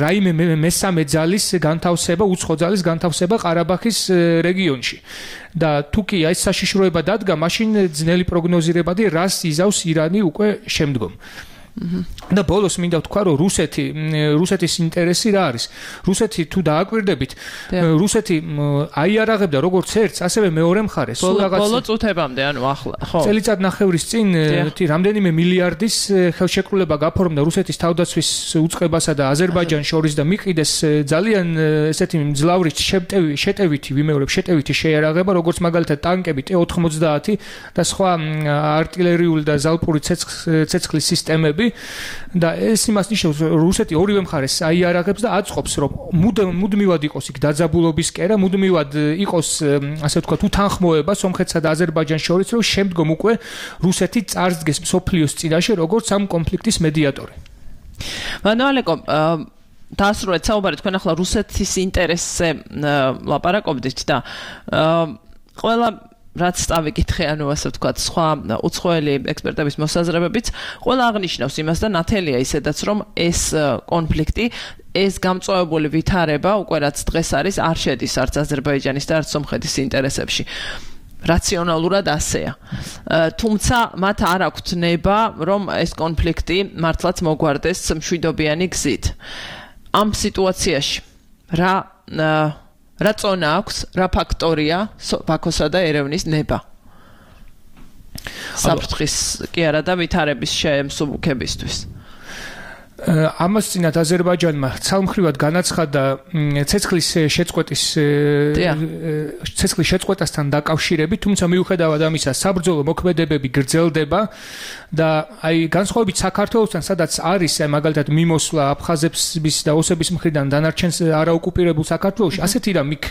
რაიმე მესამე ძალის განთავსება, უცხო ძალის განთავსება ყარაბაღის რეგიონში. და თუ კი ეს საშიშროება დადგა, მაშინ ძნელი პროგნოზირებადი რას იზავს ირანი უკვე შემდგომ. და ბოლოს მინდა ვთქვა, რომ რუსეთი, რუსეთის ინტერესი რა არის? რუსეთი თუ დააკვირდებით, რუსეთი აიარაღებდა როგორც ერთს, ასევე მეორე მხარეს. სულ რაღაც ბოლო წუთებამდე, ანუ ახლა, ხო. წელიწად ნახევრის წინ რამდენიმე მილიარდის ხელშეკრულება გაფორმდა რუსეთის თავდაცვის უწყებასა და აზერბაიჯანს შორის და მიყიდეს ძალიან ესეთი მძლავრი შეტევითი, ვიმეორებ, შეტევითი შეიარაღება, როგორც მაგალითად ტანკები ტე ოთხმოცდაათი და სხვა артиллерიული და ზალპური ცეცხლის სისტემები. და ეს იმას ნიშნავს, რომ რუსეთი ორივე მხარეს აიარაღებს და აწყობს, რომ მუდმივად იყოს იქ დაძაბულობის კერა, მუდმივად იყოს, ასე ვთქვათ, უთანხმოება სომხეთსა და აზერბაიჯანს შორის, რომ შემდგომ უკვე რუსეთი წარსდგეს მსოფლიოს წინაშე როგორც ამ კონფლიქტის მედიატორი. მანუალეკო, დაასრულეთ საუბარი, თქვენ ახლა რუსეთის ინტერესზე ლაპარაკობდით და ყველა რაც წავიკითხე, ანუ ასე ვთქვათ, სხვა უცხოელი ექსპერტების მოსაზრებებიც ყველა აღნიშნავს იმას და ნათელია ისედაც, რომ ეს კონფლიქტი, ეს გამწვავებული ვითარება, უკვე რაც დღეს არის, არ შედის არც აზერბაიჯანის და არც სომხეთის ინტერესებში. რაციონალურად ასეა. თუმცა მათ არ აქვთ ნება, რომ ეს კონფლიქტი მართლაც მოგვარდეს მშვიდობიანი გზით. ამ სიტუაციაში რა რა წონა აქვს, რა ფაქტორია ბაქოსა და ერევნის ნება? საფრთხის კი არა და ვითარების შემსუბუქებისთვის. ამას წინათ აზერბაიჯანმა ცალმხრივად განაცხადა ცეცხლის შეწყვეტის ცეცხლის შეწყვეტასთან დაკავშირებით, თუმცა მიუხედავად ამისა საბრძოლო მოქმედებები გრძელდება და აი განსხვავებით საქართველოსთან, სადაც არის მაგალითად მიმოსვლა აფხაზების და ოსების მხრიდან დანარჩენს არაოკუპირებულ საქართველოში, ასეთი რამ იქ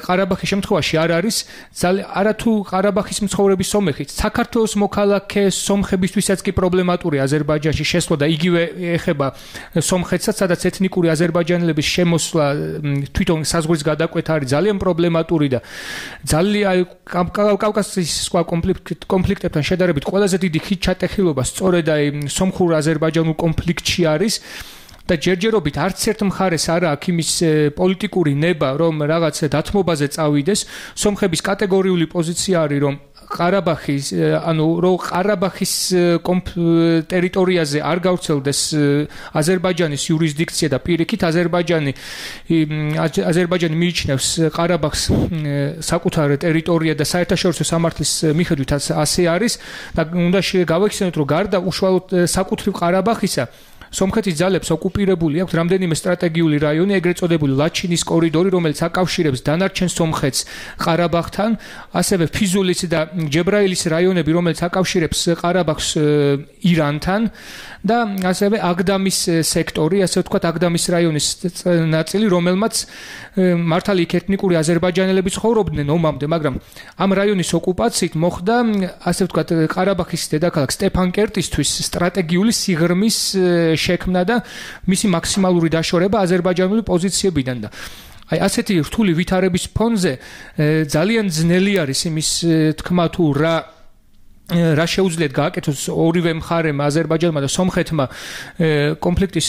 ყარაბაღის შემთხვევაში არ არის, არათუ ყარაბაღის მცხოვრები სომეხით, საქართველოს მოქალაქე სომხებისთვისაც კი პრობლემატური აზერბაიჯანში შესვლა და იგი ეხება სომხეთსაც, სადაც ეთნიკური აზერბაიჯანელების შემოსვლა თვითონ საზღვრის გადაკვეთა არის ძალიან პრობლემატური და ძალიან კავკასიის სხვა კონფლიქტებთან შედარებით ყველაზე დიდი ხით ჩატეხილობა სწორედ აი სომხურ აზერბაიჯანულ კონფლიქტში არის. და ჯერჯერობით არც ერთ მხარეს არ აქვს იმის პოლიტიკური ნება, რომ რაღაც დათმობაზე წავიდეს. სომხების კატეგორიული პოზიცია არის, რომ ყარაბაღის ანუ რომ ყარაბაღის ტერიტორიაზე არ გავრცელდეს აზერბაიჯანის იურისდიქცია და პირიქით აზერბაიჯანი აზერბაიჯანი მიიჩნევს ყარაბაღს საკუთარ ტერიტორია და საერთაშორისო სამართლის მიხედვით ასე არის და უნდა გავახსენოთ რომ გარდა უშუალოდ საკუთრივ ყარაბაღისა სომხეთის ძალებს ოკუპირებული აქვს რამდენიმე სტრატეგიული რაიონი, ეგრეთ წოდებული ლაჩინის კორიდორი, რომელიც აკავშირებს დანარჩენ სომხეთს ყარაბაღთან, ასევე ფიზულის და ჯებრაილის რაიონები, რომელიც აკავშირებს ყარაბაღს ირანთან და ასევე აგდამის სექტორი, ასე ვთქვათ, აგდამის რაიონის ნაწილი, რომელმაც მართალი იქ ეთნიკური აზერბაიჯანელები ცხოვრობდნენ ომამდე, მაგრამ ამ რაიონის ოკუპაციით მოხდა, ასე ვთქვათ, ყარაბაღის დედაქალაქ სტეფანკერტისთვის სტრატეგიული სიღრმის შექმნა და მისი მაქსიმალური დაშორება აზერბაიჯანული პოზიციებიდან და აი ასეთი რთული ვითარების ფონზე ძალიან ძნელი არის იმის თქმა თუ რა რა შეუძლიათ გააკეთოს ორივე მხარემ აზერბაიჯანმა და სომხეთმა კონფლიქტის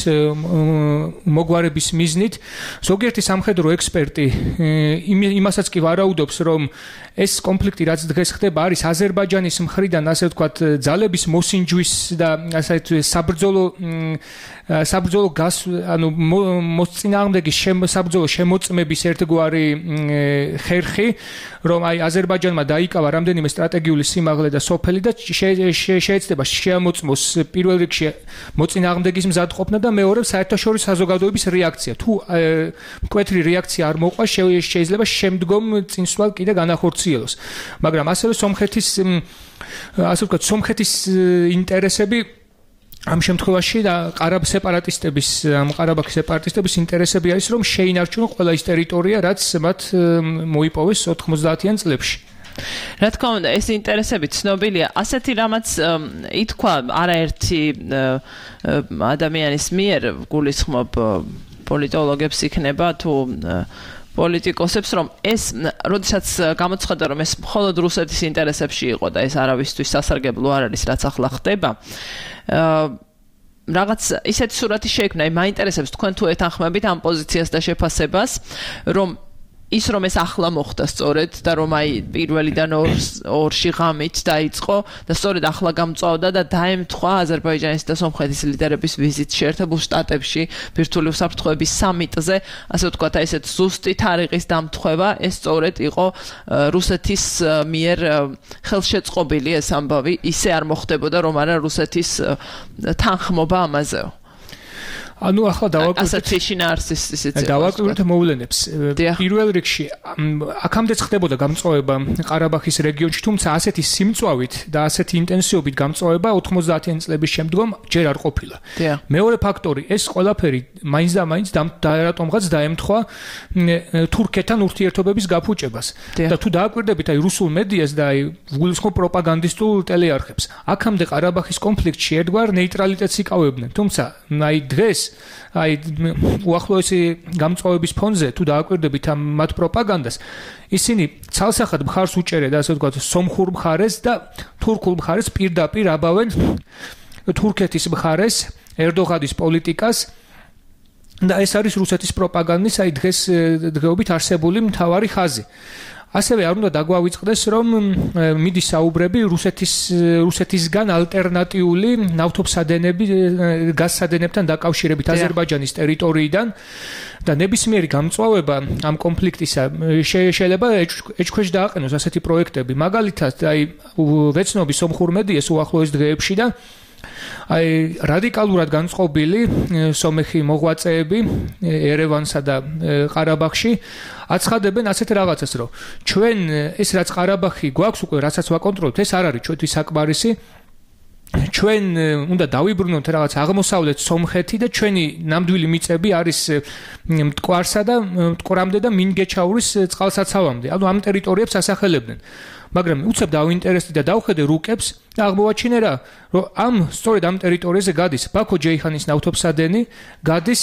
მოგვარების მიზნით ზოგიერთი სამხედრო ექსპერტი იმასაც კი ვარაუდობს რომ ეს კონფლიქტი რაც დღეს ხდება არის აზერბაიჯანის მხრიდან ასე ვთქვათ ძალების მოსინჯვის და ასე საბრძოლო საბრძოლო გას ანუ მოსწინააღმდეგის საბრძოლო შემოწმების ერთგვარი ხერხი რომ აი აზერბაიჯანმა დაიკავა რამდენიმე სტრატეგიული სიმაღლე და სოფელი და შეეცდება შეამოწმოს პირველ რიგში მოწინააღმდეგის მზადყოფნა და მეორე საერთაშორისო საზოგადოების რეაქცია თუ მკვეთრი რეაქცია არ მოყვა შეიძლება შემდგომ წინსვლა კიდე განახორციელოს მაგრამ ასევე სომხეთის ასე ვთქვათ სომხეთის ინტერესები ამ შემთხვევაში და ყარაბ სეპარატისტების ამ ყარაბაღის სეპარატისტების ინტერესები არის რომ შეინარჩუნონ ყველა ის ტერიტორია რაც მათ მოიპოვეს ოთხმოცდაათიან წლებში რა თქმა უნდა ეს ინტერესები ცნობილია ასეთი რამაც ითქვა არაერთი ადამიანის მიერ გულისხმობ პოლიტოლოგებს იქნება თუ პოლიტიკოსებს რომ ეს როდესაც გამოცხადდა რომ ეს მხოლოდ რუსეთის ინტერესებში იყო და ეს არავისთვის სასარგებლო არ არის რაც ახლა ხდება რაღაც ისეთი სურათი შეიქმნა აი მაინტერესებს თქვენ თუ ეთანხმებით ამ პოზიციას და შეფასებას რომ ის რომ ეს ახლა მოხდა სწორედ და რომ აი პირველიდან ორში ღამით დაიწყო და სწორედ ახლა გამწვავდა და დაემთხვა აზერბაიჯანის და სომხეთის ლიდერების ვიზიტ შეერთებულ შტატებში ბირთვული უსაფრთხოების სამიტზე ასე ვთქვათ აი ესეთ ზუსტი თარიღის დამთხევა ეს სწორედ იყო რუსეთის მიერ ხელშეწყობილი ეს ამბავი ისე არ მოხდებოდა რომ არა რუსეთის თანხმობა ამაზეო ანუ ახლა დავაკვირდეთ დავაკვირდეთ მოვლენებს პირველ რიგში აქამდე ხდებოდა გამწვავება ყარაბაღის რეგიონში თუმცა ასეთი სიმწვავით და ასეთი ინტენსივობით გამწვავება ოთხმოცდაათიან წლების შემდგომ ჯერ არ ყოფილა მეორე ფაქტორი ეს ყველაფერი მაინც და მაინც რატომღაც დაემთხვა თურქეთთან ურთიერთობების გაფუჭებას და თუ დავაკვირდებით აი რუსულ მედიას და აი გულისხმობ პროპაგანდისტულ ტელეარხებს აქამდე ყარაბაღის კონფლიქტში ერთგვარ ნეიტრალიტეტს იკავებდნენ თუმცა აი დღეს აი უახლოესი გამწვავების ფონზე თუ დააკვირდებით ამ მათ პროპაგანდას ისინი ცალსახად მხარს უჭერენ ასე ვთქვათ სომხურ მხარეს და თურქულ მხარეს პირდაპირ აბავენ თურქეთის მხარეს ერდოღანის პოლიტიკას და ეს არის რუსეთის პროპაგანდის აი დღეს დღეობით არსებული მთავარი ხაზი ასევე არ უნდა დაგვავიწყდეს რომ მიდის საუბრები რუსეთის რუსეთისგან ალტერნატიული ნავთობსადენები გაზსადენებთან დაკავშირებით აზერბაიჯანის ტერიტორიიდან და ნებისმიერი გამწვავება ამ კონფლიქტისა შეიძლება ეჭქვეშ დააყენოს ასეთი პროექტები მაგალითად აი ვეცნობი სომხურ მედიას უახლოეს დღეებში და აი რადიკალურად განწყობილი სომეხი მოღვაწეები ერევანსა და ყარაბაღში აცხადებენ ასეთ რაღაცას რომ ჩვენ ეს რაც ყარაბაღი გვაქვს უკვე რასაც ვაკონტროლებთ ეს არ არის ჩვენთვის საკმარისი ჩვენ უნდა დავიბრუნოთ რაღაც აღმოსავლეთ სომხეთი და ჩვენი ნამდვილი მიწები არის მტკვარსა და მტკვრამდე და მინგეჩაურის წყალსაცავამდე ანუ ამ ტერიტორიებს ასახელებდნენ მაგრამ უცებ დავინტერესდი და დავხედე რუკებს და აღმოვაჩინე რა რომ ამ სწორედ ამ ტერიტორიაზე გადის ბაქო-ჯეიჰანის ნავთობსადენი გადის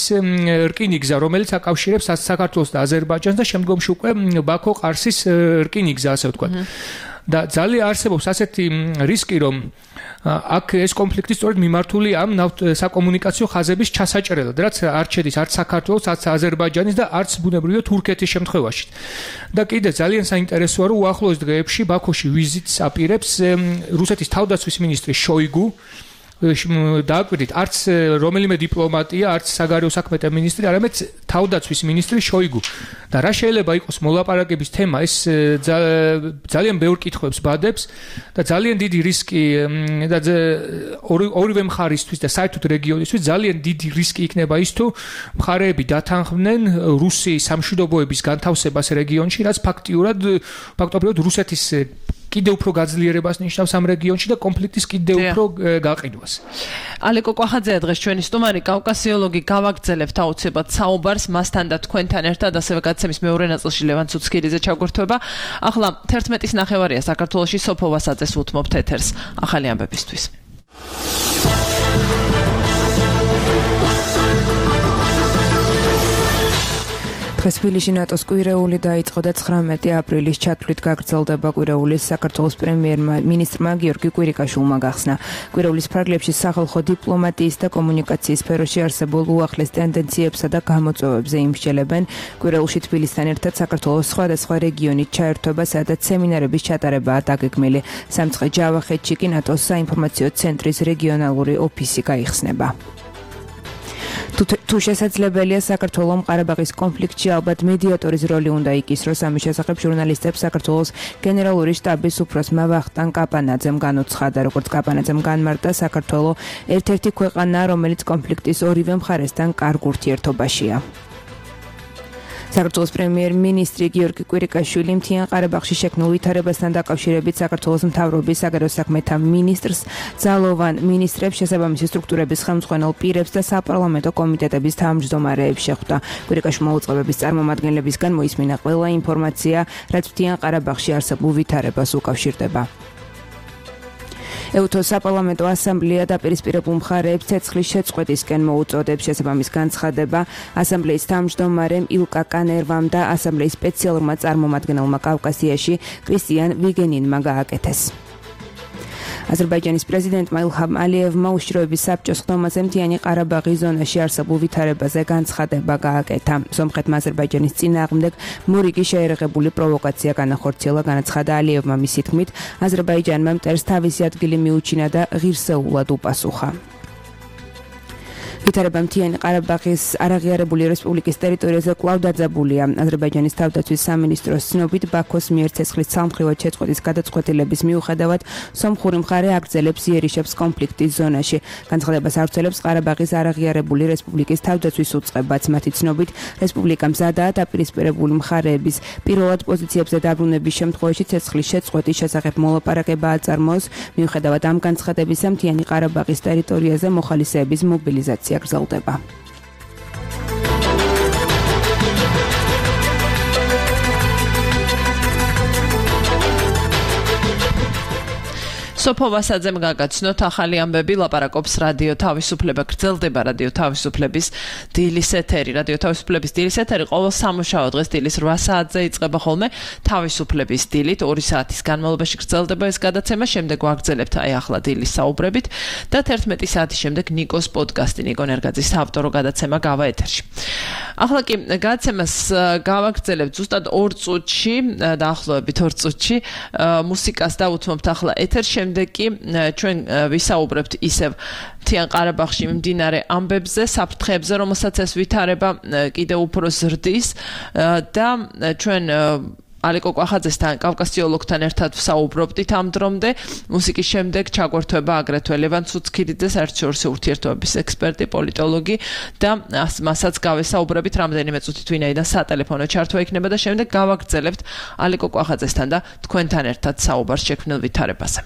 რკინიგზა რომელიც აკავშირებს საქართველოს და აზერბაიჯანს და შემდგომში უკვე ბაქო-ყარსის რკინიგზა ასე ვთქვათ და ძალიან არსებობს ასეთი რისკი, რომ აქ ეს კონფლიქტი სწორედ მიმართული ამ საკომუნიკაციო ხაზების ჩასაჭრელად, რაც არ შედის არც საქართველოს, არც აზერბაიჯანის და არც ბუნებრივია თურქეთის შემთხვევაში. და კიდე ძალიან საინტერესოა, რომ უახლოეს დღეებში ბაქოში ვიზიტს აპირებს რუსეთის თავდაცვის მინისტრი შოიგუ. დააკვირდით, არც რომელიმე დიპლომატია, არც საგარეო საქმეთა მინისტრი, არამედ თავდაცვის მინისტრი შოიგუ. და რა შეიძლება იყოს მოლაპარაკების თემა, ეს ძალიან ბევრ კითხვებს ბადებს და ძალიან დიდი რისკი და ორივე მხარისთვის და საერთოდ რეგიონისთვის ძალიან დიდი რისკი იქნება ის, თუ მხარეები დათანხმდნენ რუსი სამშვიდობოების განთავსებას რეგიონში, რაც ფაქტიურად ფაქტობრივად რუსეთის კიდევ უფრო გაძლიერებას ნიშნავს ამ რეგიონში და კონფლიქტის კიდევ უფრო გაყიდვას. ალეკო კვახაძეა დღეს ჩვენი სტუმარი, კავკასიოლოგი. გავაგრძელებთ აუცილებლად საუბარს მასთან და თქვენთან ერთად, ასევე გადაცემის მეორე ნაწილში ლევან ცუცქირიძე ჩაგვერთვება. ახლა თერთმეტის ნახევარია საქართველოში, სოფო ვასაძეს უთმობთ ეთერს ახალი ამბებისთვის. დღეს თბილისში ნატოს კვირეული დაიწყო და ცხრამეტი აპრილის ჩათვლით გაგრძელდება. კვირეულის საქართველოს პრემიერ-მინისტრმა გიორგი კვირიკაშვილმა გახსნა. კვირეულის ფარგლებში სახალხო დიპლომატიის და კომუნიკაციის სფეროში არსებულ უახლეს ტენდენციებსა და გამოწვევებზე იმსჯელებენ. კვირეულში თბილისთან ერთად საქართველოს სხვადასხვა რეგიონით ჩაერთვება, სადაც სემინარების ჩატარებაა დაგეგმილი. სამცხე ჯავახეთში კი ნატოს საინფორმაციო ცენტრის რეგიონალური ოფისი გაიხსნება. თუ შესაძლებელია საქართველოს ყარაბაღის კონფლიქტში ალბათ მედიატორის როლი უნდა იკისროს. ამის შესახებ ჟურნალისტებს საქართველოს გენერალური შტაბის უფროსმა ვახტანგ კაპანაძემ განუცხადა. როგორც კაპანაძემ განმარტა, საქართველოს ერთ-ერთი ქვეყანაა, რომელიც კონფლიქტის ორივე მხარესთან კარგ ურთიერთობაშია. საქართველოს პრემიერ-მინისტრი გიორგი კვირიკაშვილი მთიან ყარაბაღში შექმნილ ვითარებასთან დაკავშირებით საქართველოს მთავრობის საგარეო საქმეთა მინისტრს, ძალოვან მინისტრებს, შესაბამისი სტრუქტურების ხელმძღვანელ პირებს და საპარლამენტო კომიტეტების თავმჯდომარეებს შეხვდა. კვირიკაშვილმა უწყებების წარმომადგენლებისგან მოისმინა ყველა ინფორმაცია, რაც მთიან ყარაბაღში არსებულ ვითარებას უკავშირდება. ეუთოს საპარლამენტო ასამბლეა დაპირისპირებულ მხარეებს ცეცხლის შეწყვეტისკენ მოუწოდებს. შესაბამის განცხადება ასამბლეის თავმჯდომარემ ილკა კანერვამ და ასამბლეის სპეციალურმა წარმომადგენელმა კავკასიაში კრისტიან ვიგენინმა გააკეთეს. აზერბაიჯანის პრეზიდენტმა ილჰამ ალიევმა უშიშროების საბჭოს ხდომაზე მთიანი ყარაბაღის ზონაში არსებულ ვითარებაზე განცხადება გააკეთა. სომხეთმა აზერბაიჯანის წინააღმდეგ მორიგი შეერაღებული პროვოკაცია განახორციელა. განაცხადა ალიევმა მისი თქმით, აზერბაიჯანმა მტერს თავისი ადგილი მიუჩინა და ღირსეულად უპასუხა. ვითარება მთიანი ყარაბაღის არაღიარებული რესპუბლიკის ტერიტორიაზე კვლავ დაძაბულია. აზერბაიჯანის თავდაცვის სამინისტროს ცნობით, ბაქოს მიერ ცეცხლის ცალმხრივად შეწყვეტის გადაწყვეტილების მიუხედავად, სომხური მხარე აგრძელებს იერიშებს კონფლიქტის ზონაში. განცხადებას ავრცელებს ყარაბაღის არაღიარებული რესპუბლიკის თავდაცვის უწყებაც. მათი ცნობით, რესპუბლიკა მზადაა დაპირისპირებული მხარეების პირველად პოზიციებზე დაბრუნების შემთხვევაში ცეცხლის შეწყვეტის შესახებ მოლაპარაკება აწარმოოს. მიუხედავად ამ განცხადებისა, მთიანი ყარაბაღის ტერიტორიაზე მოხალისეების მობილიზაცია გრძელდება. სოფო ვასაძემ გაგაცნოთ ახალი ამბები. ლაპარაკობს რადიო თავისუფლება. გრძელდება რადიო თავისუფლების დილის ეთერი. რადიო თავისუფლების დილის ეთერი ყოველ სამუშაო დღეს დილის რვა საათზე იწყება ხოლმე თავისუფლების დილით. ორი საათის განმავლობაში გრძელდება ეს გადაცემა. შემდეგ ვაგრძელებთ აი ახლა დილის საუბრებით და თერთმეტი საათის შემდეგ ნიკოს პოდკასტი, ნიკო ნერგაძის ავტორო გადაცემა გავა ეთერში. ახლა კი გადაცემას გავაგრძელებთ ზუსტად ორ წუთში, დაახლოებით ორ წუთში მუსიკას დავუთმობთ ახლა ეთერში. შემდეგ კი ჩვენ ვისაუბრებთ ისევ მთიან ყარაბაღში მიმდინარე ამბებზე, საფრთხეებზე, რომელსაც ეს ვითარება კიდევ უფრო ზრდის და ჩვენ ალეკო კვახაძესთან, კავკასიოლოგთან ერთად ვსაუბრობდით ამ დრომდე. მუსიკის შემდეგ ჩაგვერთვება აგრეთვე ლევან ცუცქირიძე, საერთაშორისო ურთიერთობების ექსპერტი, პოლიტოლოგი და მასაც გავესაუბრებით რამდენიმე წუთით ვინაიდან სატელეფონო ჩართვა იქნება და შემდეგ გავაგრძელებთ ალეკო კვახაძესთან და თქვენთან ერთად საუბარს შექმნილ ვითარებაზე.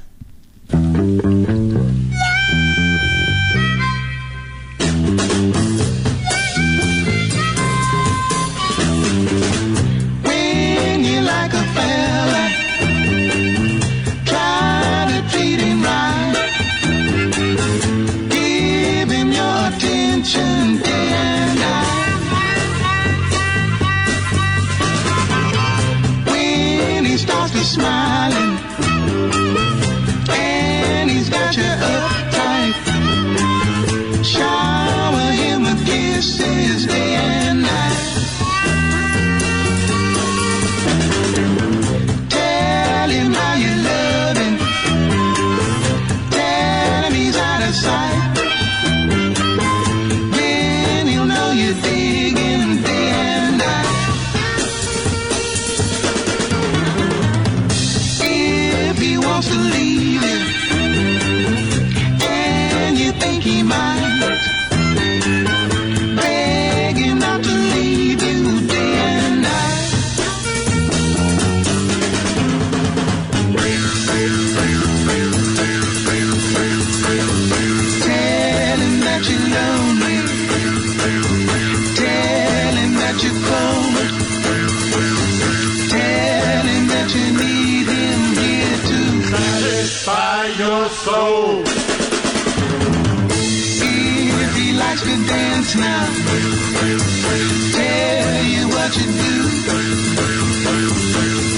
Smiling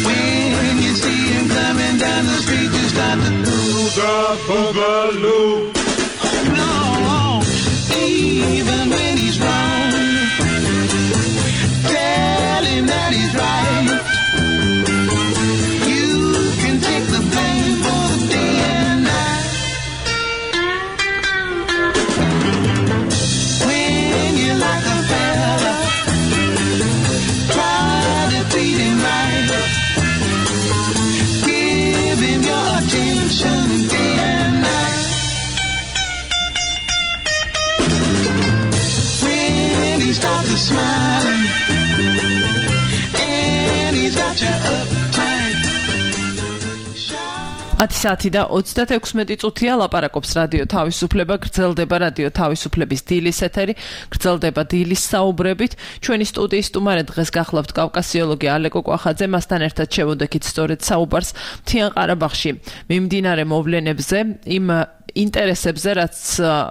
When you see him coming down the street, you start to booga boogaloo. No, even when he's wrong, tell him that he's right. You can take the blame for the day and night. When you like a fella, try to treat him right. Give him your attention day and night. When he starts to smiling and he's got you uptight. ათი საათი და ოცდაექვსმეტი წუთია ლაპარაკობს რადიო თავისუფლება, გრძელდება რადიო თავისუფლების დილის ეთერი, გრძელდება დილის საუბრებით. ჩვენი სტუდიის სტუმარი დღეს გახლავთ კავკასიოლოგი ალეკო კვახაძე, მასთან ერთად შევუდექით სწორედ საუბარს მთიან ყარაბაღში მიმდინარე მოვლენებზე, იმ ინტერესებზე, რაც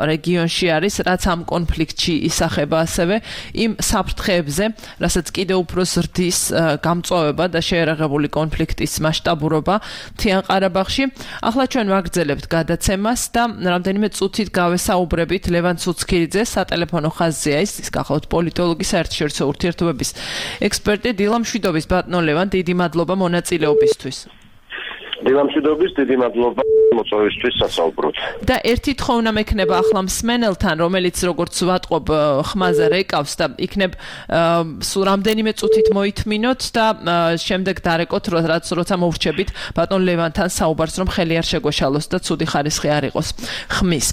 რეგიონში არის, რაც ამ კონფლიქტში ისახება, ასევე იმ საფრთხეებზე, რასაც კიდევ უფრო ზრდის გამწვავება და შეერაღებული კონფლიქტის მასშტაბურობა მთიან ყარაბაღში. ახლა ჩვენ ვაგრძელებთ გადაცემას და რამდენიმე წუთით გავესაუბრებით ლევან ცუცქირიძე, სატელეფონო ხაზზეა ის, ის გახლავთ პოლიტოლოგი, საერთაშორისო ურთიერთობების ექსპერტი. დილამშვიდობის ბატონო ლევან, დიდი მადლობა მონაწილეობისთვის. დილამშვიდობის, დიდი მადლობა მოწვევისთვის სასაუბროდ. და ერთი თხოვნა მექნება ახლა მსმენელთან, რომელიც როგორც ვატყობ ხმაზე რეკავს და იქნებ სულ რამდენიმე წუთით მოითმინოთ და შემდეგ დარეკოთ, რაც როცა მოვრჩებით ბატონ ლევანთან საუბარს, რომ ხელი არ შეგვეშალოს და ცუდი ხარისხი არ იყოს ხმის.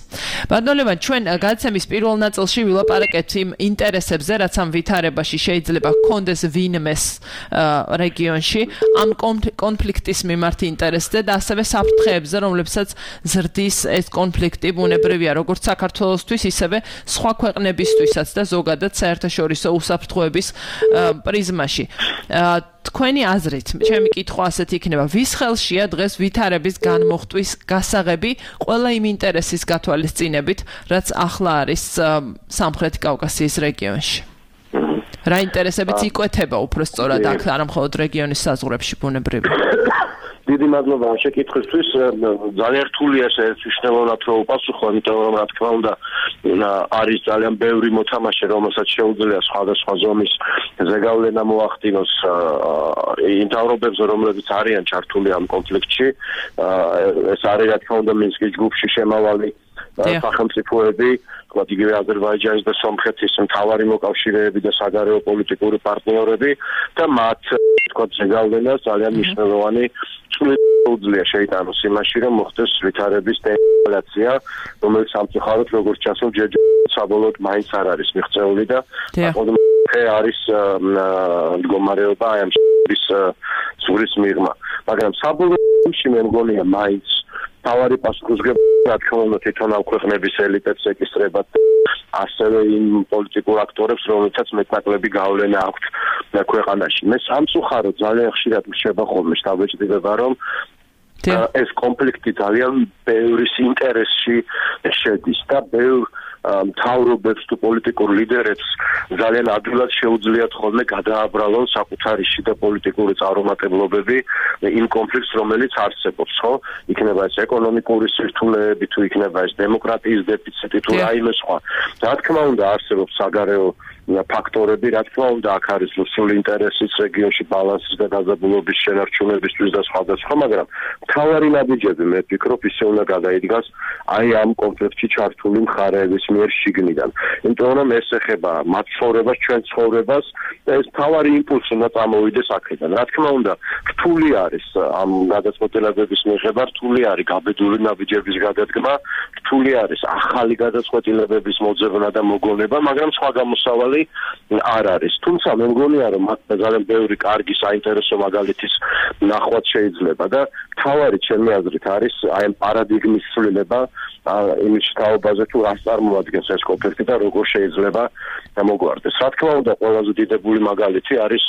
ბატონ ლევან, ჩვენ გადაცემის პირველ ნაწილში ვილაპარაკეთ იმ ინტერესებზე, რაც ამ ვითარებაში შეიძლება ჰქონდეს ვინმეს რეგიონში, ამ კონფლიქტის მიმართ ინტერესზე და ასევე საფრთხეებზე, რომლებსაც ზრდის ეს კონფლიქტი ბუნებრივია, როგორც საქართველოსთვის, ისევე სხვა ქვეყნებისთვისაც და ზოგადად საერთაშორისო უსაფრთხოების პრიზმაში. თქვენი აზრით, ჩემი კითხვა ასეთი იქნება, ვის ხელშია დღეს ვითარების განმოხტვის გასაღები ყველა იმ ინტერესის გათვალისწინებით, რაც ახლა არის სამხრეთი კავკასიის რეგიონში? რა ინტერესებიც იკვეთება უფრო სწორად აქ, არა მხოლოდ რეგიონის საზღვრებში ბუნებრივია? დიდი მადლობა შეკითხვისთვის. ძალიან რთულია ეს მნიშვნელოვნად რო უპასუხო, იმიტომ რომ რა თქმა უნდა არის ძალიან ბევრი მოთამაშე, რომელსაც შეუძლია სხვადასხვა ზომის ზეგავლენა მოახდინოს იმ თავრობებზე, რომლებიც არიან ჩართული ამ კონფლიქტში. ეს არის რა თქმა უნდა მინსკის ჯგუფში შემავალი სახელმწიფოები, თქვათ იგივე აზერბაიჯანის და სომხეთის მთავარი მოკავშირეები და საგარეო პოლიტიკური პარტნიორები და მათ თქვათ ზეგავლენას ძალიან მნიშვნელოვანი უძლია შეიტანოს იმაში, რომ მოხდეს ვითარების დეესკალაცია, რომელიც სამწუხაროდ როგორც ჩანს, ჯერჯერობით საბოლოოდ მაინც არ არის მიღწეული და ოდნავ არის მდგომარეობა აი ამ სურის მიღმა. მაგრამ საბოლოოში მე მგონია მაინც თავარი პასუხისმგებლობა რა თქმა უნდა თვითონ ამ ქვეყნების ელიტებს ეკისრება, ასევე იმ პოლიტიკურ აქტორებს, რომელთაც მეტნაკლები გავლენა აქვთ ქვეყანაში. მე სამწუხაროდ ძალიან ხშირად მრჩება ხოლმე შთაბეჭდილება, რომ ეს კონფლიქტი ძალიან ბევრის ინტერესში შედის და ბევრ მთავრობებს თუ პოლიტიკურ ლიდერებს ძალიან ადვილად შეუძლიათ ხოლმე გადააბრალონ საკუთარი შიდა პოლიტიკური წარუმატებლობები იმ კონფლიქტს, რომელიც არსებობს, ხო? იქნება ეს ეკონომიკური სირთულეები, თუ იქნება ეს დემოკრატიის დეფიციტი, თუ რაიმე სხვა. რა თქმა უნდა, არსებობს საგარეო ფაქტორები, რა თქმა უნდა, აქ არის რუსული ინტერესის რეგიონში ბალანსის და დაძაბულობის შენარჩუნებისთვის და სხვადასხვა, მაგრამ მთავარი ნაბიჯები მე ვფიქრობ ისე უნდა გადაიდგას აი ამ კონფლიქტში ჩართული მხარეების მიერ შიგნიდან. იმიტომ რომ ეს ეხება მათ ცხოვრებას, ჩვენ ცხოვრებას და ეს მთავარი იმპულსი უნდა წამოვიდეს აქედან. რა თქმა უნდა, რთული არის ამ გადაწყვეტილებების მიღება, რთული არის გაბედული ნაბიჯების გადადგმა, რთული არის ახალი გადაწყვეტილებების მოძებნა და მოგონება, მაგრამ სხვა გამოსავალი არ არის. თუმცა მე მგონია, რომ მათ ძალიან ბევრი კარგი საინტერესო მაგალითის ნახვაც შეიძლება და მთავარი ჩემი აზრით არის აი ამ პარადიგმის ცვლილება იმის თაობაზე, თუ რას წარმოადგენს ეს კონფლიქტი და როგორ შეიძლება მოგვარდეს. რა თქმა უნდა, ყველაზე დიდებული მაგალითი არის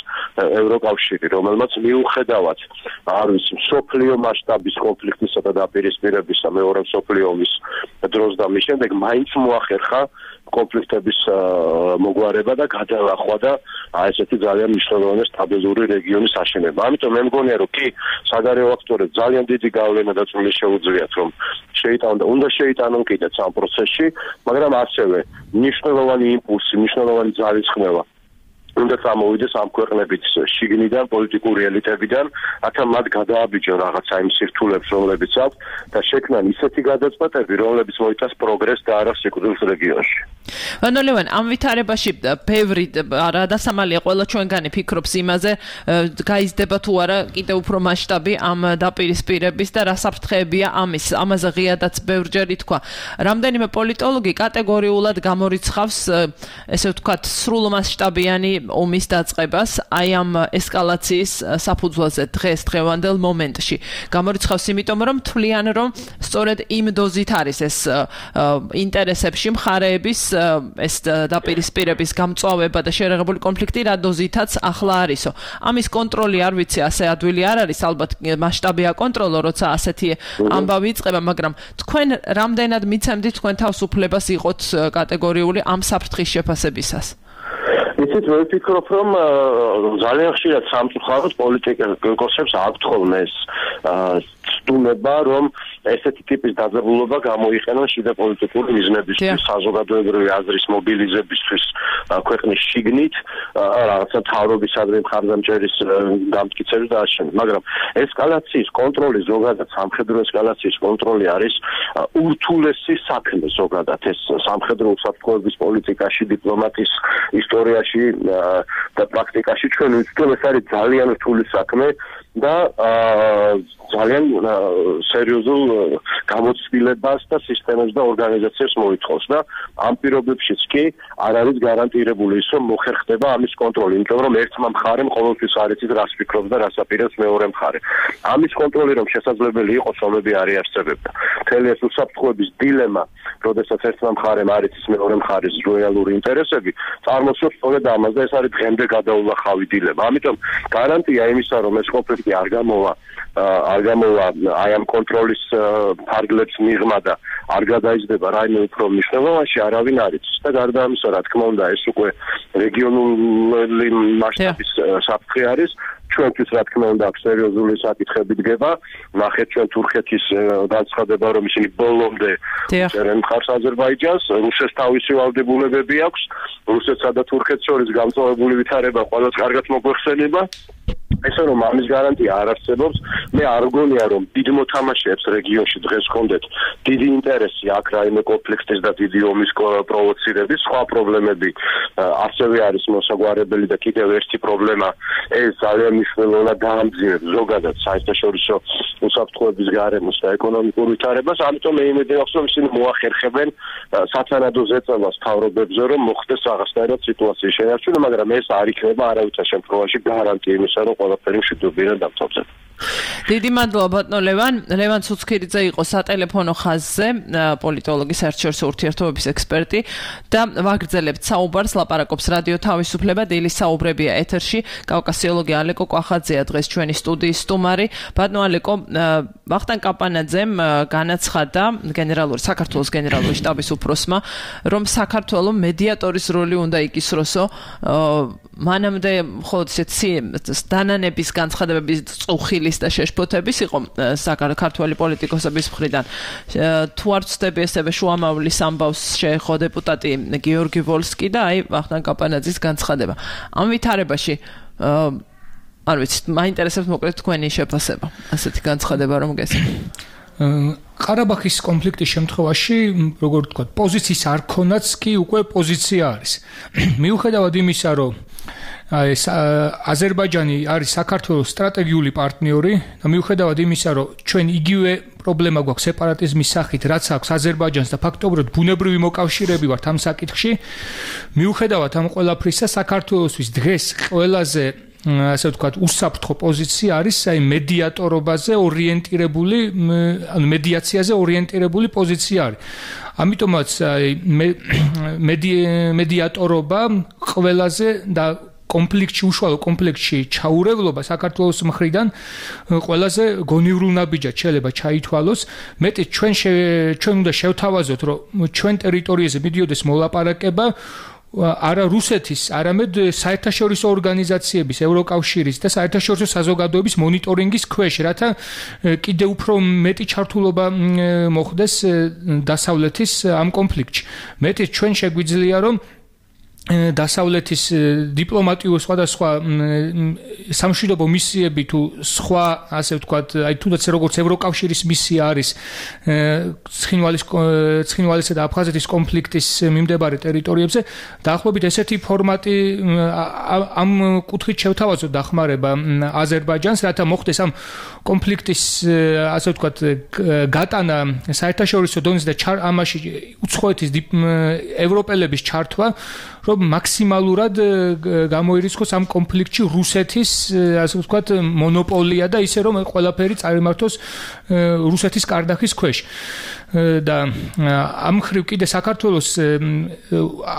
ევროკავშირი, რომელმაც მიუხედავად არ ვიცი მსოფლიო მასშტაბის კონფლიქტისა და დაპირისპირებისა მეორე მსოფლიო ომის დროს და მის შემდეგ მაინც მოახერხა კონფლიქტების მოგვარება და გადალახვა და ესეთი ძალიან მნიშვნელოვანი სტაბილური რეგიონის აშენება. ამიტომ მე მგონია რომ კი საგარეო აქტორებს ძალიან დიდი გავლენა და წვლილი შეუძლიათ რომ შეიტანონ და უნდა შეიტანონ კიდეც ამ პროცესში, მაგრამ ასევე მნიშვნელოვანი იმპულსი, მნიშვნელოვანი ძალისხმევა უნდა წამოვიდეს ამ ქვეყნებით შიგნიდან პოლიტიკური ელიტებიდან, რათა მათ გადააბიჯონ რაღაცა იმ სირთულებს, რომლებიც აქვს და შექმნან ისეთი გადაწყვეტები, რომლებიც მოიცავს პროგრესს და არა სიკვდილს რეგიონში. ანუ ლევან, ამ ვითარებაში ბევრი რა დასამალია ყველა ჩვენგანი ფიქრობს იმაზე, გაიზრდება თუ არა კიდევ უფრო მასშტაბი ამ დაპირისპირების და რა საფრთხეებია ამის. ამაზე ღიადაც ბევრჯერ ითქვა. რამდენიმე პოლიტოლოგი კატეგორიულად გამორიცხავს, ესე ვთქვათ, სრულმასშტაბიანი ომის დაწყებას აი ამ ესკალაციის საფუძველზე დღეს დღევანდელ მომენტში. გამორიცხავს იმიტომ რომ თვლიან რომ სწორედ იმ დოზით არის ეს ინტერესებში მხარეების ეს დაპირისპირების გამწვავება და შერეღებული კონფლიქტი რა დოზითაც ახლა არისო. ამის კონტროლი არ ვიცი ასე ადვილი არ არის, ალბათ მასშტაბია კონტროლო, როცა ასეთი ამბავი იწყება, მაგრამ თქვენ რამდენად მიცემდით თქვენ თავისუფლებას იყოთ კატეგორიული ამ საფრთხის შეფასებისას? იცით, მე ვფიქრობ, რომ ძალიან ხშირად სამწუხაროდ პოლიტიკოსებს აქვთ ხოლმე ეს ცდუნება, რომ ესეთი ტიპის დაძაბულობა გამოიყენონ შიდა პოლიტიკური მიზნებისთვის, საზოგადოებრივი აზრის მობილიზებისთვის ქვეყნის შიგნით, რაღაცა თავრობისადმი მხარდამჭერის დამტკიცების და აშენება. მაგრამ ესკალაციის კონტროლი ზოგადად, სამხედრო ესკალაციის კონტროლი არის ურთულესი საქმე ზოგადად ეს სამხედრო უსაფრთხოების პოლიტიკაში, დიპლომატიის ისტორიაში და პრაქტიკაში ჩვენ ვიცით, ეს არის ძალიან რთული საქმე და ძალიან სერიოზულ გამოცდილებას და სისტემებს და ორგანიზაციებს მოითხოვს და ამ პირობებშიც კი არ არის გარანტირებული ის, რომ მოხერხდება ამის კონტროლი, იმიტომ რომ ერთმა მხარემ ყოველთვის არ იცის რას ფიქრობს და რას აპირებს მეორე მხარე. ამის კონტროლი რომ შესაძლებელი იყოს, ომები არ იარსებებდა. მთელი ეს უსაფრთხოების დილემა, როდესაც ერთმა მხარემ არ იცის მეორე მხარის რეალური ინტერესები, წარმოსწევს სწორედ ამას და ეს არის დღემდე გადაულახავი დილემა. ამიტომ გარანტია იმისა, რომ ეს კონფლიქტი არ გამოვა არ გამოვა აი ამ კონტროლის ფარგლებს მიღმა და არ გადაიზრდება რაიმე უფრო მნიშვნელოვანში არავინ არ იცის და გარდა ამისა, რა თქმა უნდა, ეს უკვე რეგიონული მასშტაბის საფრთხე არის. ჩვენთვის რა თქმა უნდა სერიოზული საკითხები დგება. ნახეთ ჩვენ თურქეთის განცხადება, რომ ისინი ბოლომდე წერენ მხარს აზერბაიჯანს, რუსეთს თავისი ვალდებულებები აქვს, რუსეთსა და თურქეთს შორის გამწვავებული ვითარება ყველას კარგად მოგვეხსენება. ესე რომ ამის გარანტია არ არსებობს, მე არ გონია რომ დიდ მოთამაშეებს რეგიონში დღეს ჰქონდეთ დიდი ინტერესი აქ რაიმე კონფლიქტის და დიდი ომის პროვოცირების, სხვა პრობლემები ასევე არის მოსაგვარებელი და კიდევ ერთი პრობლემა ეს ძალიან მნიშვნელოვნად დაამძიმებს ზოგადად საერთაშორისო უსაფრთხოების გარემოს და ეკონომიკურ ვითარებას, ამიტომ მე იმედი მაქვს რომ ისინი მოახერხებენ სათანადო ზეწოლას თავრობებზე რომ მოხდეს რაღაცნაირად სიტუაციის შენარჩუნა, მაგრამ ეს არ იქნება არავითარ შემთხვევაში გარანტია იმისა, რომ ყველაფერი მშვიდობიან დამთავრდება. დიდი მადლობა ბატონო ლევან. ლევან ცუცქირიძე იყო სატელეფონო ხაზზე, პოლიტოლოგი, საერთაშორისო ურთიერთობების ექსპერტი და ვაგრძელებთ საუბარს, ლაპარაკობს რადიო თავისუფლება, დილის საუბრებია ეთერში. კავკასიოლოგი ალეკო კვახაძეა დღეს ჩვენი სტუდიის სტუმარი. ბატონო ალეკო, ვახტანგ კაპანაძემ განაცხადა გენერალური საქართველოს გენერალური შტაბის უფროსმა, რომ საქართველოს მედიატორის როლი უნდა იკისროსო. მანამდე მხოლოდ ისეთი დანანების განცხადებების წუხილის და შეშფოთების იყო საქართველოს პოლიტიკოსების მხრიდან. თუ არ ვცდები ესევე შუამავლის ამბავს შეეხო დეპუტატი გიორგი ვოლსკი და აი ვახტანგ კაპანაძის განცხადება. ამ ვითარებაში არ ვიცი, მაინტერესებს მოკლედ თქვენი შეფასება. ასეთი განცხადება რომ გესმით. ყარაბაღის კონფლიქტის შემთხვევაში, როგორ ვთქვათ, პოზიციის არ ქონაც კი უკვე პოზიცია არის. მიუხედავად იმისა, რომ ეს აზერბაიჯანი არის საქართველოს სტრატეგიული პარტნიორი და მიუხედავად იმისა, რომ ჩვენ იგივე პრობლემა გვაქვს სეპარატიზმის სახით, რაც აქვს აზერბაიჯანს და ფაქტობრივად ბუნებრივი მოკავშირეები ვართ ამ საკითხში, მიუხედავად ამ ყველაფრისა, საქართველოსთვის დღეს ყველაზე ასე ვთქვათ, უსაფრთხო პოზიცია არის აი მედიატორობაზე ორიენტირებული, ანუ მედიაციაზე ორიენტირებული პოზიცია არის. ამიტომაც აი მედიატორობა ყველაზე და კონფლიქტში უშუალო კონფლიქტში ჩაურევლობა საქართველოს მხრიდან ყველაზე გონივრულ ნაბიჯად შეიძლება ჩაითვალოს. მეტი ჩვენ ჩვენ უნდა შევთავაზოთ, რომ ჩვენ ტერიტორიაზე მიდიოდეს მოლაპარაკება არა რუსეთის, არამედ საერთაშორისო ორგანიზაციების, ევროკავშირის და საერთაშორისო საზოგადოების მონიტორინგის ქვეშ, რათა კიდევ უფრო მეტი ჩართულობა მოხდეს დასავლეთის ამ კონფლიქტში. მეტი ჩვენ შეგვიძლია რომ დასავლეთის დიპლომატიურ სხვადასხვა სამშვიდობო მისიები თუ სხვა ასე ვთქვათ, აი თუნდაც როგორც ევროკავშირის მისია არის ცხინვალის ცხინვალისა და აფხაზეთის კონფლიქტის მიმდებარე ტერიტორიებზე, დაახლოებით ესეთი ფორმატი ამ კუთხით შევთავაზოთ დახმარება აზერბაიჯანს, რათა მოხდეს ამ კონფლიქტის ასე ვთქვათ გატანა საერთაშორისო დონეზე და ამაში უცხოეთის ევროპელების ჩართვა, რომ მაქსიმალურად გამოირიცხოს ამ კონფლიქტში რუსეთის ასე ვთქვათ მონოპოლია და ისე რომ ყველაფერი წარიმართოს რუსეთის კარდახის ქვეშ. და ამ ხრივ კიდე საქართველოს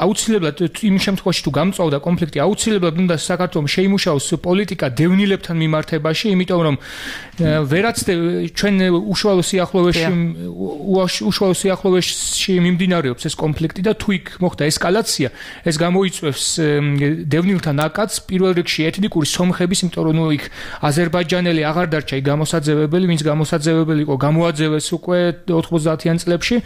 აუცილებლად იმ შემთხვევაში თუ გამწვავდა კონფლიქტი აუცილებლად უნდა საქართველოს შეიმუშაოს პოლიტიკა დევნილებთან მიმართებაში, იმიტომ რომ ვერაც ჩვენ უშუალო სიახლოვეში უშუალო სიახლოვეში მიმდინარეობს ეს კონფლიქტი და თუ იქ მოხდა ესკალაცია, ეს გამოიწვევს დევნილთა ნაკადს პირველ რიგში ეთნიკური სომხების, იმიტომ რომ იქ აზერბაიჯანელი აღარ დარჩა იქ გამოსაძევებელი, ვინც გამოსაძევებელი იყო გამოაძევეს უკვე ოთხმოცდაათიან წლებში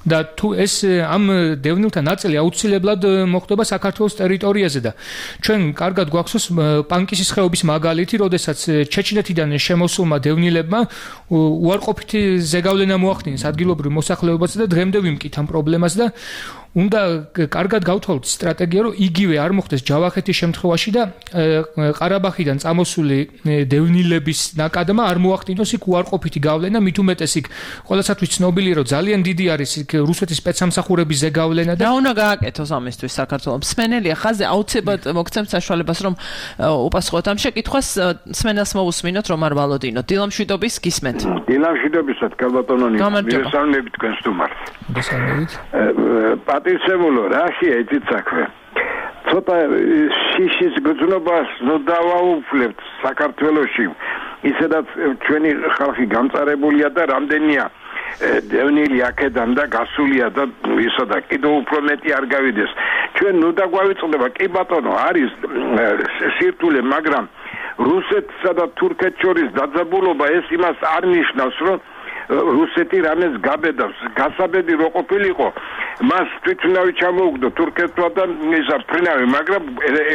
და თუ ეს ამ დევნილთა ნაწილი აუცილებლად მოხდება საქართველოს ტერიტორიაზე და ჩვენ კარგად გვახსოვს პანკისის ხეობის მაგალითი, როდესაც ჩეჩნეთიდან შემოსულმა დევნილებმა უარყოფითი ზეგავლენა მოახდინეს ადგილობრივ მოსახლეობაზე და დღემდე ვიმკით ამ პრობლემას და უნდა კარგად გავთვალოთ სტრატეგია, რომ იგივე არ მოხდეს ჯავახეთის შემთხვევაში და ყარაბაღიდან წამოსული დევნილების ნაკადმა არ მოახდინოს იქ უარყოფითი გავლენა, მით უმეტეს იქ ყველასათვის ცნობილია, რომ ძალიან დიდი არის იქ რუსეთის სპეცსამსახურების ზეგავლენა და რა უნდა გააკეთოს ამისთვის საქართველოს? მსმენელია ხაზზე აუცილებლად მოგცემთ საშუალებას, რომ უპასუხოთ ამ შეკითხვას, მსმენელს მოусმინოთ რომ არ ვალოდინოთ. დილამშვიდობის გისმენთ. დილამშვიდობისად კალბატონონი, მოგესალმებით თქვენ სტუმარს. მოგესალმებით. პატივცემულო, რაშია იცით საქმე? ცოტა შიშის გრძნობას დავაუფლებთ საქართველოში, ისედაც ჩვენი ხალხი გამწარებულია და რამდენია დევნილი აქედან და გასულია და ისა და კიდევ უფრო მეტი არ გავიდეს. ჩვენ ნუ დაგვავიწყდება, კი ბატონო, არის სირთულე, მაგრამ რუსეთსა და თურქეთს შორის დაძაბულობა ეს იმას არ ნიშნავს, რომ რუსეთი რამეს გაბედავს, გასაბედი რო ყოფილიყო, მას თვითნავი ჩამოუგდო თურქეთმა და ისა ფრინავი, მაგრამ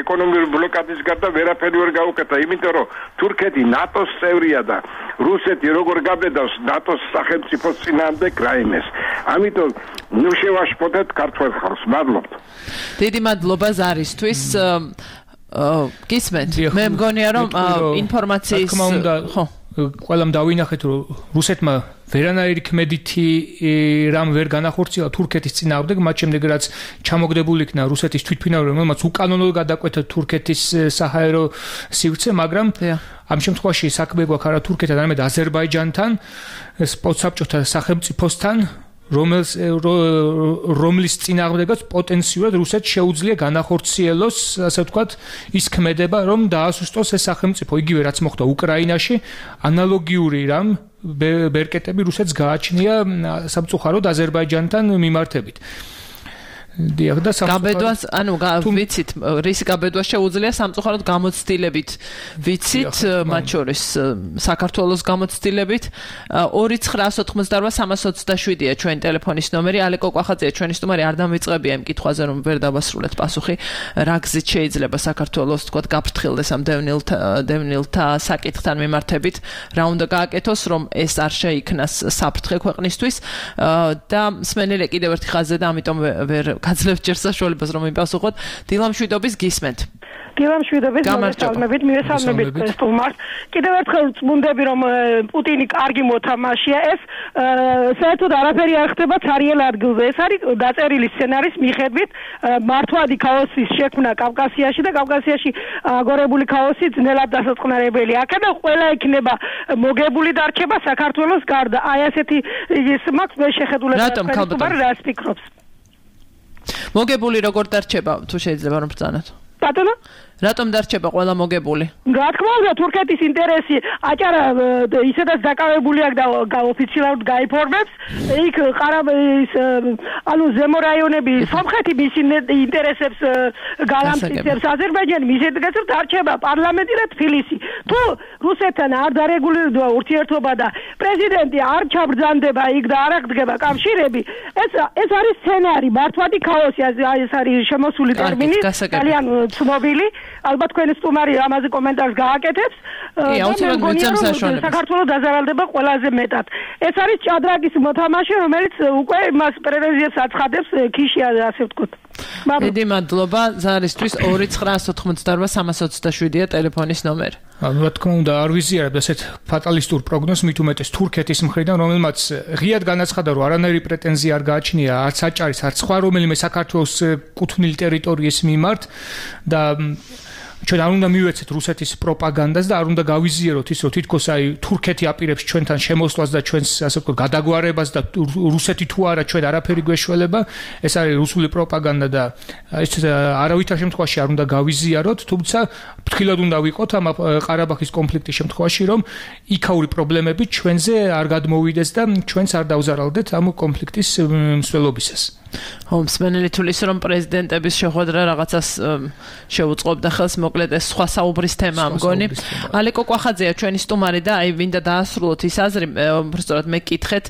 ეკონომიკური ბლოკადის გარდა ვერაფერი ვერ გაუკეთა, იმიტომ რომ თურქეთი ნატოს წევრია და რუსეთი როგორ გაბედავს ნატოს სახელმწიფოს წინააღმდეგ რაიმეს. ამიტომ ნუ შევაშფოთეთ ქართველ ხალხს. მადლობთ. დიდი მადლობა ზარისთვის. გისმენთ, მე მგონია რომ ინფორმაციის ხო ყველამ დავინახეთ, რომ რუსეთმა ვერანაირი ქმედითი რამ ვერ განახორციელა თურქეთის წინააღმდეგ, მათ შემდეგ რაც ჩამოგდებული იქნა რუსეთის თვითმფრინავი, რომელმაც უკანონოდ გადაკვეთა თურქეთის საჰაერო სივრცე, მაგრამ ამ შემთხვევაში საქმე გვაქვს არა თურქეთთან, არამედ აზერბაიჯანთან, სპოცსაბჭოთა სახელმწიფოსთან, რომელს რომლის წინააღმდეგაც პოტენციურად რუსეთს შეუძლია განახორციელოს, ასე ვთქვათ, ის ქმედება, რომ დაასუსტოს ეს სახელმწიფო, იგივე რაც მოხდა უკრაინაში, ანალოგიური რამ ბერკეტები რუსეთს გააჩნია სამწუხაროდ აზერბაიჯანთან მიმართებით. დიახ და გაბედვას, ანუ ვიცით, რისი გაბედვა შეუძლია სამწუხაროდ გამოცდილებით ვიცით, მათ შორის საქართველოს გამოცდილებით. ორი ცხრაას ოთხმოცდაორვა სამას ოცდაშვიდია ჩვენი ტელეფონის ნომერი. ალეკო კვახაძეა ჩვენი სტუმარი, არ დამიწყებია იმ კითხვაზე, რომ ვერ დავასრულეთ პასუხი, რა გზით შეიძლება საქართველოს თქვათ გაფრთხილდეს ამ დევნილთა დევნილთა საკითხთან მიმართებით, რა უნდა გააკეთოს, რომ ეს არ შეიქმნას საფრთხე ქვეყნისთვის და მსმენელი კიდევ ერთი ხაზზე და ამიტომ ვერ გაძლევთ ჯერ საშუალებას რომ იმპასუხოთ. დილამშვიდობის გისმენთ. დილამშვიდობის მოგესალმებით, მივესალმებით სტუმარს. კიდევ ერთხელ წმუნდები რომ პუტინი კარგი მოთამაშეა, ეს საერთოდ არაფერი არ ხდება ცარიელ ადგილზე. ეს არის დაწერილი სცენარის მიხედვით მართვადი ქაოსის შექმნა კავკასიაში და კავკასიაში აგორებული ქაოსი ძნელად დასაწყნარებელი. აქედან ყველა იქნება მოგებული დარჩება საქართველოს გარდა. აი ასეთი ის მაქვს მე შეხედულება სტუმარი რას ფიქრობს? მოგებული როგორ დარჩება თუ შეიძლება რომ ბრძანოთ? ბატონო რატომ დარჩება ყველა მოგებული? რა თქმა უნდა, თურქეთის ინტერესი აჭარა ისედაც დაკავებული აქვს და ოფიციალურად გაიფორმებს. იქ ყარაბაღის ანუ ზემო რაიონები სომხეთი მის ინტერესებს გალამწიცებს, აზერბაიჯანი მის ინტერესებს დარჩება პარლამენტი და თბილისი. თუ რუსეთთან არ დარეგულირდება ურთიერთობა და პრეზიდენტი არ ჩაბრძანდება იქ და არ აღდგება კავშირები, ეს ეს არის სცენარი, მართვადი ქაოსი, ეს არის შემოსული ტერმინი, ძალიან ცნობილი. ალბათ თქვენი სტუმარი ამაზე კომენტარს გააკეთებს. საქართველოს დაზარალდება ყველაზე მეტად. ეს არის ჭადრაკის მოთამაშე, რომელიც უკვე მას პრეტენზიებს აცხადებს ქიშია, ასე ვთქვათ. დიდი მადლობა ზარისთვის ორი ცხრაას ოთხმოცდაორვა სამას ოცდაშვიდია ტელეფონის ნომერი. ანუ რა თქმა უნდა არ ვიზიარებ ასეთ ფატალისტურ პროგნოზს მით უმეტეს თურქეთის მხრიდან, რომელმაც ღიად განაცხადა, რომ არანაირი პრეტენზია არ გააჩნია არც აჭარის, არც სხვა რომელიმე საქართველოს კუთვნილი ტერიტორიის მიმართ და ჩვენ არ უნდა მივეცეთ რუსეთის პროპაგანდას და არ უნდა გავიზიაროთ ის, რომ თითქოს აი თურქეთი აპირებს ჩვენთან შემოსვლას და ჩვენს ასე ვთქვათ გადაგვარებას და რუსეთი თუ არა ჩვენ არაფერი გვეშველება. ეს არის რუსული პროპაგანდა და ეს არავითარ შემთხვევაში არ უნდა გავიზიაროთ, თუმცა ფრთხილად უნდა ვიყოთ ამ ყარაბაღის კონფლიქტის შემთხვევაში, რომ იქაური პრობლემები ჩვენზე არ გადმოვიდეს და ჩვენც არ დავზარალდეთ ამ კონფლიქტის მსვლელობისას. მსმენელი თulis რომ პრეზიდენტების შეხვედრა რაღაცას შეუწყობდა ხელს, მოკლედ ეს სხვა საუბრის თემაა მგონი. ალეკო კვახაძეა ჩვენი სტუმარი და აი ვინდა დაასრულოთ ის აზრი, უბრალოდ მე კითხეთ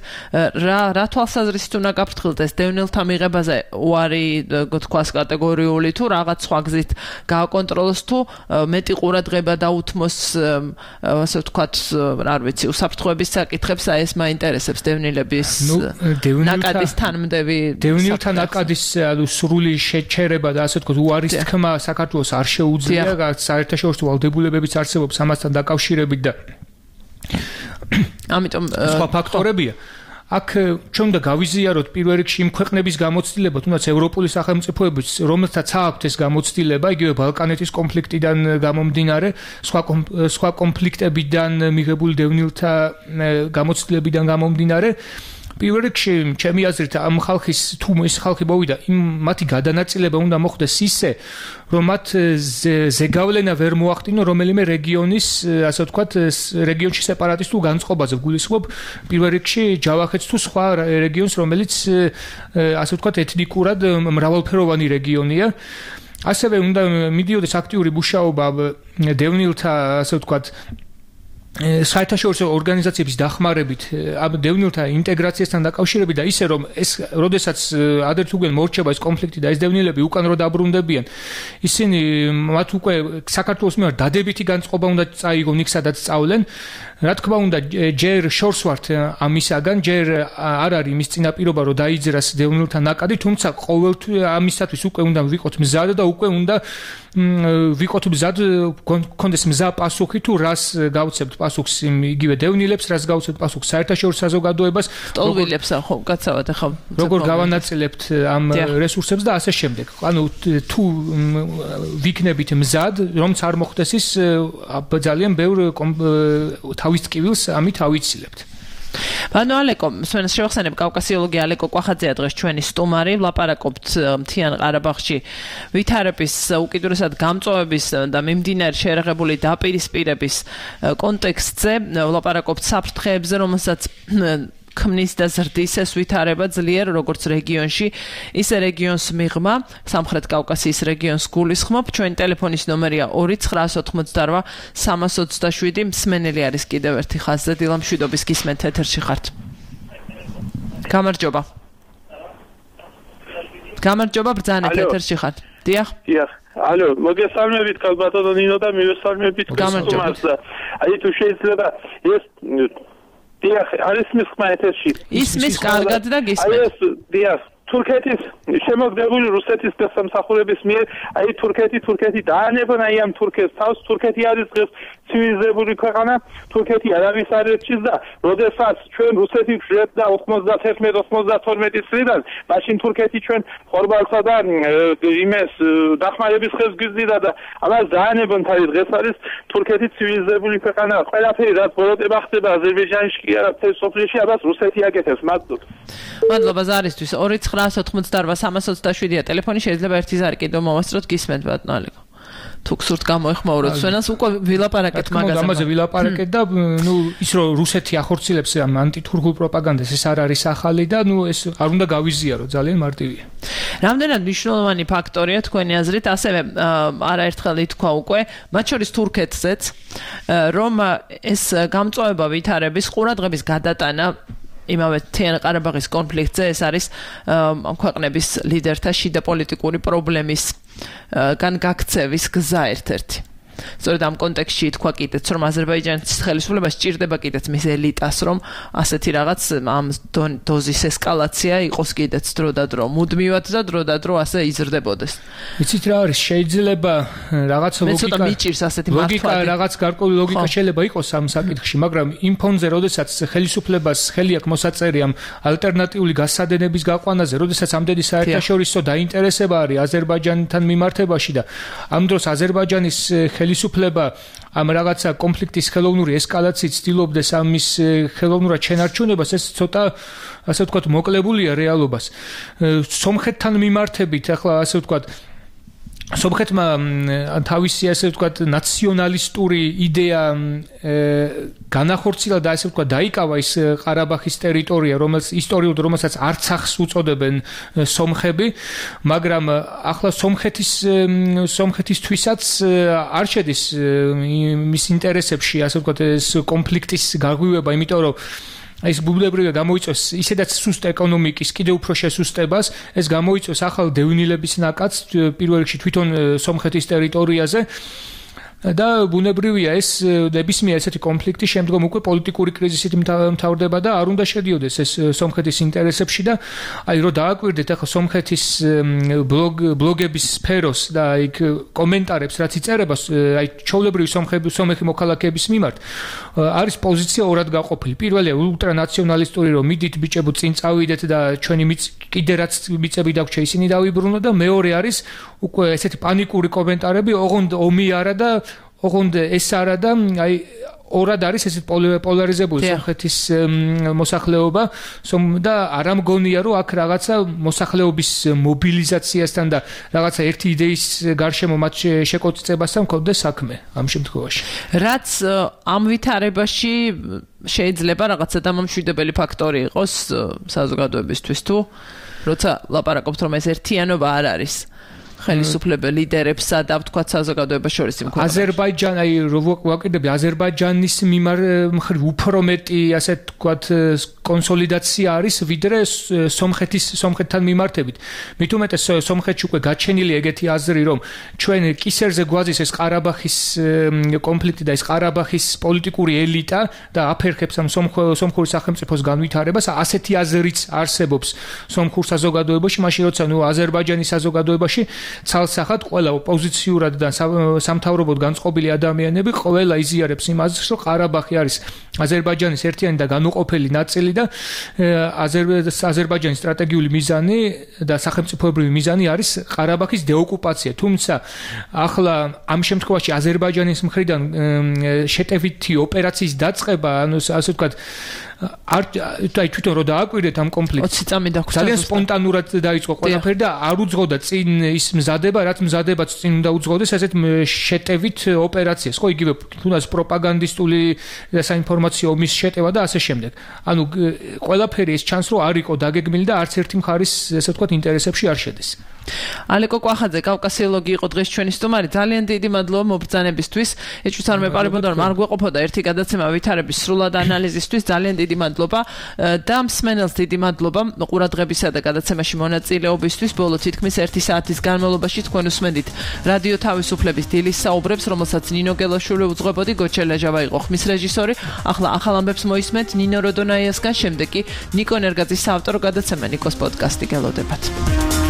რა რა თვალსაზრისით უნდა გაფრთხილდეს ეს დევნილთა მიღებაზე უარი თქვას კატეგორიული თუ რაღაც სხვა გზით გააკონტროლოს თუ მეტი ყურადღება დაუთმოს ასე ვთქვათ რა ვიცი უსაფრთხოების საკითხებს, აი ეს მაინტერესებს დევნილების ნაკადის თანმდები დევნილთა ნაკადის სრული შეჩერება და ასე ვთქვათ უარის თქმა საქართველოს არ შეუძლია, საერთაშორისო ვალდებულებებიც არსებობს ამასთან დაკავშირებით და ამიტომ სხვა ფაქტორებია. აქ ჩვენ უნდა გავიზიაროთ პირველ რიგში იმ ქვეყნების გამოცდილება, თუნდაც ევროპული სახელმწიფოების, რომელთაც აქვთ ეს გამოცდილება, იგივე ბალკანეთის კონფლიქტიდან გამომდინარე, სხვა სხვა კონფლიქტებიდან მიღებული დევნილთა გამოცდილებიდან გამომდინარე. პირველ რიგში ჩემი აზრით ამ ხალხის თუ ეს ხალხი მოვიდა, იმ მათი გადანაწილება უნდა მოხდეს ისე, რომ მათ ზეგავლენა ვერ მოახდინონ რომელიმე რეგიონის, ასე ვთქვათ, რეგიონში სეპარატისტულ განწყობაზე გულისხმობ პირველ რიგში ჯავახეთს თუ სხვა რეგიონს, რომელიც ასე ვთქვათ ეთნიკურად მრავალფეროვანი რეგიონია. ასევე უნდა მიდიოდეს აქტიური მუშაობა დევნილთა, ასე ვთქვათ, საერთაშორისო ორგანიზაციების დახმარებით ამ დევნილთა ინტეგრაციასთან დაკავშირებით და ისე რომ ეს როდესაც ადრე თუ გვიან მორჩება ეს კონფლიქტი და ეს დევნილები უკან რო დაბრუნდებიან, ისინი მათ უკვე საქართველოს მიერ დადებითი განწყობა უნდა წაიგონ იქ სადაც სწავლენ. რა თქმა უნდა ჯერ შორს ვართ ამისაგან, ჯერ არ არის იმის წინაპირობა რომ დაიძრას დევნილთა ნაკადი, თუმცა ყოველთვის ამისათვის უკვე უნდა ვიყოთ მზად და უკვე უნდა ვიყოთ მზად, კონდეს მზა პასუხი თუ რას გავცემთ პასუხს იგივე დევნილებს, რას გავცემთ პასუხს საერთაშორისო საზოგადოებას, სტოლვილებს ხო გაცავად ახლა როგორ გავანაწილებთ ამ რესურსებს და ასე შემდეგ. ანუ თუ ვიქნებით მზად, რომც არ მოხდეს ის ძალიან ბევრ თავის ტკივილს ამით ავიცილებთ. ბანო ალეკო, მსმენელს შევახსენებ, კავკასიოლოგი ალეკო კვახაძეა დღეს ჩვენი სტუმარი, ვლაპარაკობთ მთიან ყარაბაღში ვითარების, უკიდურესად გამწვავების და მიმდინარე შეერაღებული დაპირისპირების კონტექსტზე, ვლაპარაკობთ საფრთხეებზე, რომელსაც ქმნის და ზრდის ეს ვითარება ძლიერ როგორც რეგიონში, ისე რეგიონს მიღმა, სამხრეთ კავკასიის რეგიონს გულისხმობ. ჩვენი ტელეფონის ნომერია ორი ცხრაას ოთხმოცდაორვა სამას ოცდაშვიდი. მსმენელი არის კიდევ ერთი ხაზზე, დილა მშვიდობის გისმენთ, ეთერში ხართ. გამარჯობა. გამარჯობა, ბრძანეთ, ეთერში ხართ. დიახ. დიახ. ალო, მოგესალმებით ქალბატონო ნინო და მივესალმებით გასწრებას. აი თუ შეიძლება ეს დიახ, არის მის ხმა ეთერში. ისმის კარგად და გისმენთ. აი ეს დიახ, თურქეთის შემოგდებული რუსეთის დასამსახურების მიერ, აი თურქეთი, თურქეთი დაანებონ აი ამ თურქეთს თავს, თურქეთი არის დღეს ცივილიზებული ქვეყანა, თურქეთი არავის არ ერჩის და როდესაც ჩვენ რუსეთი ვშლებ და ოცდაათი ოცდათორმეტი წლიდან, მაშინ თურქეთი ჩვენ ხორბალსა და იმეს დახმარების ხელს გვიზიდა და ამას დაანებონ თავი დღეს არის თურქეთი ცივილიზებული ქვეყანა, ყველაფერი რაც ბოროტება ხდება აზერბაიჯანში კი არა მთელ სოფლიოში, ამას რუსეთი აკეთებს, მადლობ. მადლობა ზარისთვის. ორი ცხრაას ოთხმოცდაორვა სამას ოცდაშვიდია ტელეფონი, შეიძლება ერთი ზარი კიდევ მოვასწროთ, გისმენთ ბატონო ალეკო. თუ გსურთ გამოეხმაუროთ სვენას უკვე ვილაპარაკეთ მაგაზე. ამაზე ვილაპარაკეთ და ნუ ის რომ რუსეთი ახორციელებს ამ ანტითურქულ პროპაგანდას ეს არ არის ახალი და ნუ ეს არ უნდა გავიზიარო ძალიან მარტივია. რამდენად მნიშვნელოვანი ფაქტორია თქვენი აზრით ასევე არაერთხელ ითქვა უკვე მათ შორის თურქეთზეც რომ ეს გამწვავება ვითარების ყურადღების გადატანა იმავე მთიან ყარაბაღის კონფლიქტზე ეს არის ამ ქვეყნების ლიდერთა შიდა პოლიტიკური პრობლემის გან გაქცევის გზა ერთ-ერთი. სწორედ ამ კონტექსტში თქვა კიდეც რომ აზერბაიჯანის ხელისუფლება სჭირდება კიდეც მის ელიტას რომ ასეთი რაღაც ამ დოზის ესკალაცია იყოს კიდეც დრო და დრო მუდმივად და დრო და დრო ასე იზრდებოდეს. იცით რა არის შეიძლება რაღაც ლოგიკა მიჭირს ასეთი ლოგიკა რაღაც გარკვეული ლოგიკა შეიძლება იყოს ამ საკითხში მაგრამ იმ ფონზე როდესაც ხელისუფლებას ხელი აქვს მოსაწერი ამ ალტერნატიული გასადენების გაყვანაზე როდესაც ამდენი საერთაშორისო დაინტერესება არის აზერბაიჯანთან მიმართებაში და ამ დროს აზერბაიჯანის ხელისუფლება ამ რაღაცა კონფლიქტის ხელოვნური ესკალაციით ცდილობდეს ამის ხელოვნურად შენარჩუნებას ეს ცოტა ასე ვთქვათ მოკლებულია რეალობას. სომხეთთან მიმართებით ახლა ასე ვთქვათ სომხეთმა თავისი ასე ვთქვათ ნაციონალისტური იდეა განახორციელა და ასე ვთქვათ დაიკავა ის ყარაბაღის ტერიტორია რომელიც ისტორიულად რომელსაც არცახს უწოდებენ სომხები მაგრამ ახლა სომხეთის სომხეთისთვისაც არ შედის მის ინტერესებში ასე ვთქვათ ეს კონფლიქტის გაღვივება იმიტომ რომ ეს ბუბლებრივია გამოიწვევს ისედაც სუსტ ეკონომიკის კიდევ უფრო შესუსტებას ეს გამოიწვევს ახალ დევნილების ნაკადს პირველ რიგში თვითონ სომხეთის ტერიტორიაზე და ბუნებრივია ეს ნებისმიერ ესეთი კონფლიქტი შემდგომ უკვე პოლიტიკური კრიზისით მთავრდება და არ უნდა შედიოდეს ეს სომხეთის ინტერესებში და აი რომ დააკვირდეთ ახლა სომხეთის ბლოგ ბლოგების სფეროს და აი კომენტარებს რაც იწერება აი ჩოვლებრივი სომხები სომეხი მოქალაქეების მიმართ არის პოზიცია ორად გაყოფილი. პირველია ულტრანაციონალისტური რომ მიდით ბიჭებო წინ წავიდეთ და ჩვენი კიდე რაც მიწები დაგვრჩა ისინი დავიბრუნოთ და მეორე არის უკვე ესეთი პანიკური კომენტარები ოღონდ ომი არა და ოღონდ ეს არა და აი ორად არის ესეთ პოლარიზებული სომხეთის მოსახლეობა და არ ამგონია რომ აქ რაღაცა მოსახლეობის მობილიზაციასთან და რაღაცა ერთი იდეის გარშემო მათ შეკოწიწებასთან მქონდეს საქმე ამ შემთხვევაში. რაც ამ ვითარებაში შეიძლება რაღაცა დამამშვიდებელი ფაქტორი იყოს საზოგადოებისთვის თუ როცა ლაპარაკობთ რომ ეს ერთიანობა არ არის ხელისუფლებელ ლიდერებსა და ვთქვათ საზოგადოებას შორის იმ ქვეყნებში. აზერბაიჯანი, აი ვაკეთებ აზერბაიჯანის მიმართ უფრო მეტი ასე ვთქვათ კონსოლიდაცია არის ვიდრე სომხეთის სომხეთთან მიმართებით. მით უმეტეს სომხეთში უკვე გაჩენილი ეგეთი აზრი რომ ჩვენ კისერზე გვაძის ეს ყარაბაღის კონფლიქტი და ეს ყარაბაღის პოლიტიკური ელიტა და აფერხებს ამ სომხური სახელმწიფოს განვითარებას. ასეთი აზრიც არსებობს სომხურ საზოგადოებაში, მაშინ როცა ნუ აზერბაიჯანის საზოგადოებაში ცალსახად ყველა ოპოზიციურად და სამთავრობოდ განწყობილი ადამიანები ყველა იზიარებს იმ აზრს, რომ ყარაბაღი არის აზერბაიჯანის ერთიანი და განუყოფელი ნაწილი და აზერბაიჯანის სტრატეგიული მიზანი და სახელმწიფოებრივი მიზანი არის ყარაბაღის დეოკუპაცია. თუმცა ახლა ამ შემთხვევაში აზერბაიჯანის მხრიდან შეტევითი ოპერაციის დაწყება, ანუ ასე ვთქვათ არ აი თვითონ რო დააკვირდეთ ამ კონფლიქტს ოცი წამი დაგვჭირდა ძალიან სპონტანურად დაიწყო ყველაფერი და არ უძღოდა წინ ის მზადება რაც მზადებაც წინ უნდა უძღოდეს ასეთ შეტევით ოპერაციას ხო იგივე თუნდაც პროპაგანდისტული საინფორმაციო ომის შეტევა და ასე შემდეგ ანუ ყველაფერი ეს ჩანს რომ არ იყო დაგეგმილი და არც ერთი მხარის ესე ვთქვათ ინტერესებში არ შედეს. ალეკო კვახაძე კავკასიოლოგი იყო დღეს ჩვენი სტუმარი. ძალიან დიდი მადლობა მობრძანებისთვის. ეჭვს არ მეპარებოდა რომ არ გვეყოფოდა ერთი გადაცემა ვითარების სრულად ანალიზისთვის. ძალიან დიდი მადლობა და მსმენელს დიდი მადლობა ყურადღებისა და გადაცემაში მონაწილეობისთვის. ბოლო თითქმის ერთი საათის განმავლობაში თქვენ უსმენდით რადიო თავისუფლების დილის საუბრებს, რომელსაც ნინო გელაშვილი უძღვებოდი, გოჩელა ჟავა იყო ხმის რეჟისორი. ახლა ახალ ამბებს მოისმენთ ნინო როდონაიასგან, შემდეგ კი ნიკო ნერგაძის საავტორო გადაცემა ნიკოს პოდკასტი გელოდებათ.